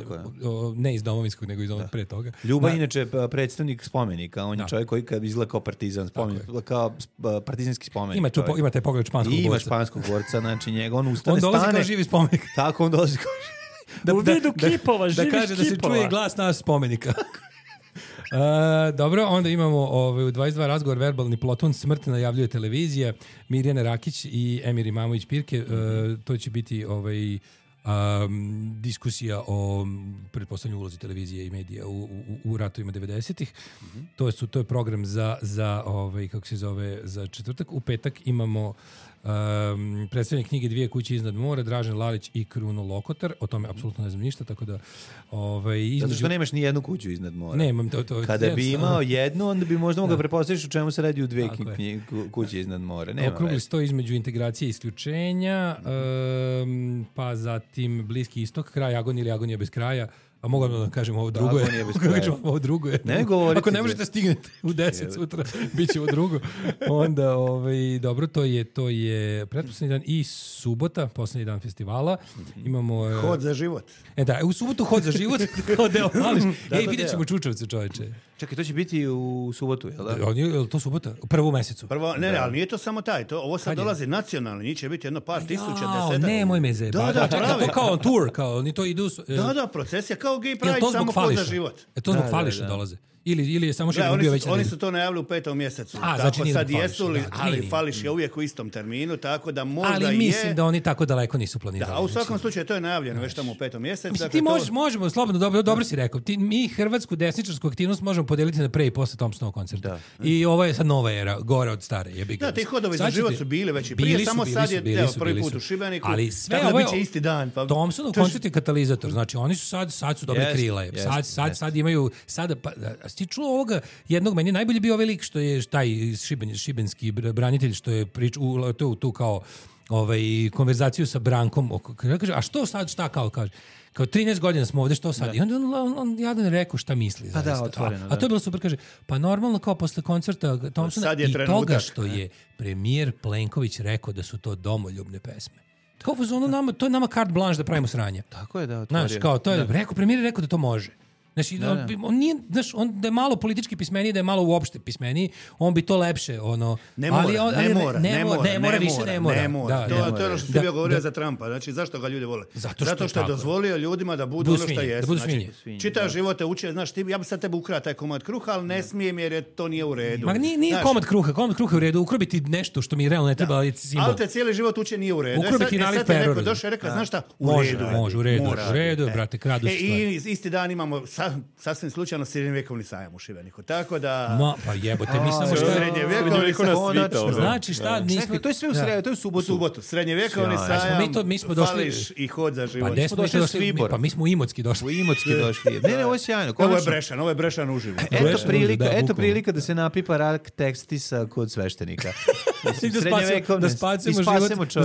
ne iz Domovinskog, nego iz onog pre toga. Ljuba inače predstavnik spomenika, on je čovjek koji kad izgleda kao partizan, kao partizanski spomenik. Ima taj pogled španskog borca. Ima španskog borca, znači njega, on ustane, on dolazi kao živi spomenik. Tako, on dolazi kao u vidu kipova, živih kipova. Da kaže da se čuje glas nas spomenika. Dobro, onda imamo u 22 razgovor verbalni plotun smrt najavljuje televizija, Mirjana Rakić i Emir Imamović Pirke. To će biti diskusija o pretpostavljanju ulozi televizije i medija u ratovima 90-ih. To je program za kako se zove, za četvrtak. U petak imamo predstavljanje knjige Dvije kuće iznad mora, Dražen Lalić i Kruno Lokotar. O tome apsolutno ne znam ništa, tako da zato što nemaš ni jednu kuću iznad mora. Nemam to. Kada bi imao jednu, onda bi možda mogao prepostaviti u čemu se radi u dvije kuće iznad mora. Okrugli sto između integracije i isključenja, pa zatim Bliski istok, kraj agonije ili agonija bez kraja. A mogu da kažem ovo drugo je. Ovo drugo je. Ako ne možete stignete u 10 sutra, bit će ovo drugo. Onda, dobro, to je pretposlednji dan i subota, poslednji dan festivala. Imamo... Hod za život. U subotu hod za život. Kao deo mališ. Vidjet ćemo Čučevce, čoveče. Čekaj, to će biti u subotu, jel da? Je to subota? U prvu mesecu. Ne, ali nije to samo taj. Ovo sad dolazi nacionalno. Njih će biti jedno par tisuća, desetak. Nemoj me zeba. To kao tour, kao oni to idu... Da, procesija kao Gay Pride, samo hod za život. To zbog Fališa dolaze. Ili je samo Šibenik bio već... Oni su to najavili u 5. mjesecu. Znači sad jesu li, ali Fališ je uvijek u istom terminu, tako da možda je... Ali mislim da oni tako daleko nisu planirali. Da, a u svakom slučaju to je najavljeno već tamo u 5. mjesecu. Mislim, ti možemo, slobodno, dobro si rekao, mi hrvatsku desničarsku aktivnost možemo podeliti na pre i posle Thompsonovog koncerta. I ovo je sad nova era, gore od stare. Da, ti hodovi za život su bili već i prije, samo sad je prvi put u Šibeniku. Ali sve ovo je isti dan. Thompsonov koncert je katalizator, znači oni su sad su dobili krila. Sad imaju, ti čuo ovoga jednog, meni najbolje bio ovaj lik što je taj šibenski branitelj što je pričao tu kao konverzaciju sa Brankom. Kaže, a što sad, šta kao kaže? Kao 13 godina smo ovdje, što sad? I onda on jadan rekao šta misli. A to je bilo super, kaže, pa normalno kao posle koncerta Thompsona i toga što je premijer Plenković rekao da su to domoljubne pesme. To je nama carte blanche da pravimo sranje. Tako je, da, otvorio. Znaš, kao, to je, premijer je rekao da to može. Znači, on nije, znaš, on da je malo politički pismeniji, da je malo uopšte pismeniji, on bi to lepše, ono... Ne mora. To je ono što si bio govorio za Trumpa. Znači, zašto ga ljudi vole? Zato što je dozvolio ljudima da budu ono što jesu. Čitav život te uče, znaš, ja bi sad tebe ukrao taj komad kruha, ali ne smijem jer to nije u redu. Ma nije komad kruha je u redu, ukrobiti nešto što mi realno ne treba, ali simbol. Ali te cijeli život uče nije u redu. Ukrobiti nalik perora. Neko došao i rekao, znaš šta, u redu, brate, kradu stvari. I isti dan imamo sasvim slučajno srednjevjekovni sajam u Šibeniku, tako da... Pa jebote, mi samo što... Srednjevjekovni sajam... Znači šta, nismo... To je sve u sredu, to je u subotu. Srednjevjekovni sajam, fališ i hod za život. Pa smo došli? Pa mi smo u Imotski došli. Ne, ovo je sjajno. Ovo je Brešan uživo. Eto prilika da se napipa rak tekstisa kod sveštenika. Da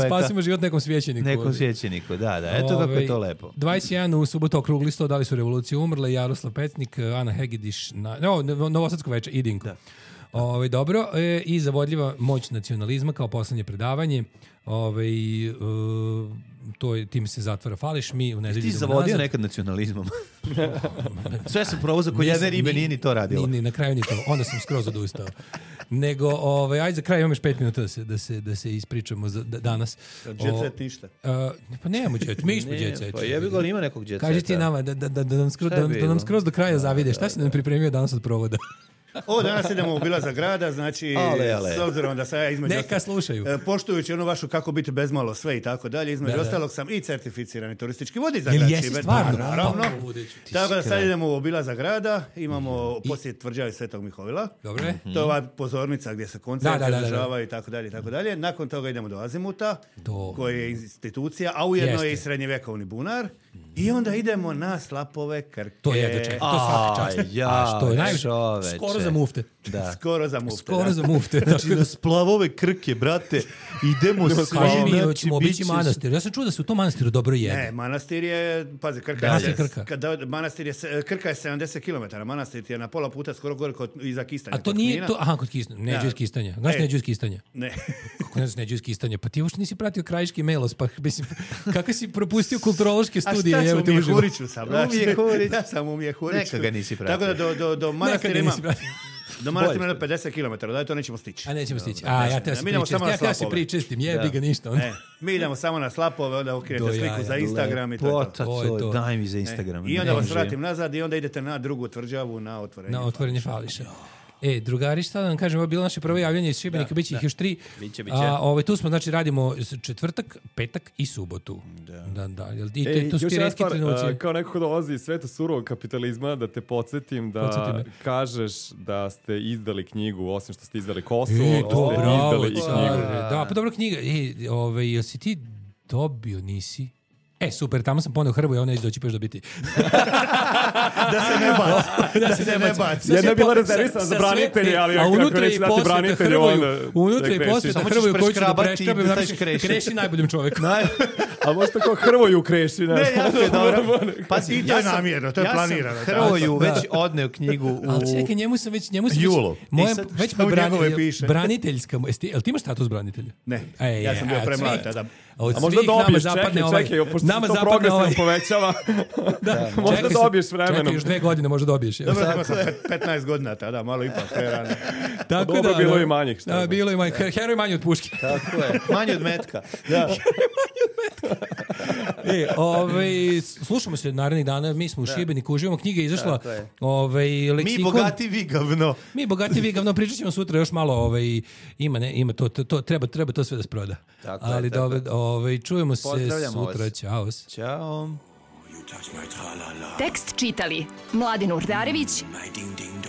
spasimo život nekom svećeniku. Da. Eto kako je to lepo. 21 u subotu okrugli 100, da li su revolucije umrle, Jaroslav Pecnik, Ana Hegediš, Novosadsko veče, Idinko. Dobro, i zavodljiva moć nacionalizma kao poslednje predavanje. Tim se zatvara fališ, mi u nedelju ti zavodio nekad nacionalizmom? Sve sam probao za jedne ribe, nije ni to radilo. Na kraju ni to, onda sam skroz odustao. Nego, ajde za kraj, imam još 5 minuta da se ispričamo danas. Jet set ništa. Pa nemamo jet, mi smo jet set. Pa jebi ga, ali ima nekog jet seta. Kaži ti nama da nam skroz do kraja zavide. Šta si nam pripremio danas od provoda? Danas idemo u obilazak grada, znači s obzirom da sad ja između... Neka slušaju. Poštujući onu vašu kako biti bezmalo sve i tako dalje, između ostalog sam i certificirani turistički vodič za grad Šibenik. Naravno. Tako da sad idemo u obilazak grada, imamo posjet tvrđave Svetog Mihovila. Dobre. To je ova pozornica gdje se koncerti održavaju i tako dalje. Nakon toga idemo do Azimuta, koji je institucija, a ujedno je i srednjevjekovni bunar. I onda idemo na Slapove Krke. To je čovjek, to svaki čast. To je najviše. Skoro za mufte. Da. Skoro za mufte. Znači na Splavove Krke, brate, idemo svi. Kaži mi, hoćemo obići manastir. Ja sam čuo da se u tom manastiru dobro jede. Ne, manastir je, pazi, Krka je 70 km. Manastir je na pola puta skoro gore iza Kistanja. A to nije to, kod Kistanja. Neđu iz Kistanja. Znaš Neđu iz Kistanja? Ne. Kako ne znaš Neđu iz Kistanja? Pa ti uopšte nisi pratio Krajiški Melos, pa mislim, kako si propustio kulturološke studije? A šta ću, umjehuriću sam. Ja sam umjehuriću. Neka ga nisi pratio. Tako da do manastira imam... Do manastira ima 50 km, da to nećemo stići. A nećemo stići. Ja te si pričestim, jebi ga ništa. Mi idemo samo na Slapove, onda okrenete sliku za Instagram i to. Daj mi za Instagram. I onda vas vratim nazad i onda idete na drugu tvrđavu na otvorenje. Na otvorenje fališa. Drugari, šta da vam kažem, ovo je bilo naše prvo javljanje iz Šibenika, bit će ih još 3. Biće. Tu smo, znači, radimo četvrtak, petak i subotu. Da. I to su ti retki trenuci. Kao neko ko dolazi iz sveta surovog kapitalizma, da te podsjetim da kažeš da ste izdali knjigu, osim što ste izdali Kosovo, ste izdali i knjigu. Da, pa dobra knjiga. Jel si ti dobio, nisi? Super, tamo sam poneo Hrvoju, ona doći peš dobiti. Da se ne baci. Jedna je bila rezervisana za branitelje, ali ako neće dati branitelje, onda... Unutra i posveta Hrvoju koju ću da preškrabim, kreši najboljim čovekom. A možda kao Hrvoju kreši. Ne, jako je dobro. Pazi, i to je namjerno, to je planirano. Ja sam Hrvoju već odneo knjigu u... Ali čekaj, njemu sam već... Julu. Već braniteljska... Jel ti imaš status branitelja? Ne, ja sam bio premlad tada. A možda dobiješ, čekaj, pošto se to progresivno povećava, možda dobiješ vremenom. Čekaj, još 2 godine možda dobiješ. Dobro, ima sam 15 godina tada, malo ipak prerano. Dobro, bilo je manjih. Da, bilo je manjih. Heroj manji od puške. Tako je, manji od metka. Slušamo se narednih dana, mi smo u Šibeniku, uživamo, knjiga je izašla. Mi bogati vi gavno. Mi bogati vi gavno, pričat ćemo sutra još malo, ima to, treba to sve da se proda. Ali dobro, čujemo se sutra, ćao. Ćao. Tekst čitali Mladin Urdarević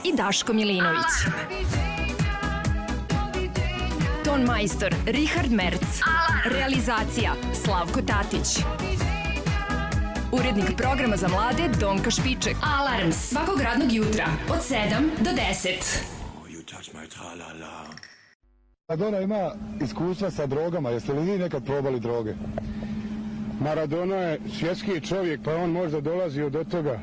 i Daško Milinović. Ton majstor Richard Merc. Realizacija Slavko Tatić. Urednik programa za mlade Donka Špiček. Alarms svakog radnog jutra od 7 do 10. Maradona ima iskustva sa drogama. Jeste li vi nekad probali droge? Maradona je svjetski čovjek, pa on možda dolazio do toga.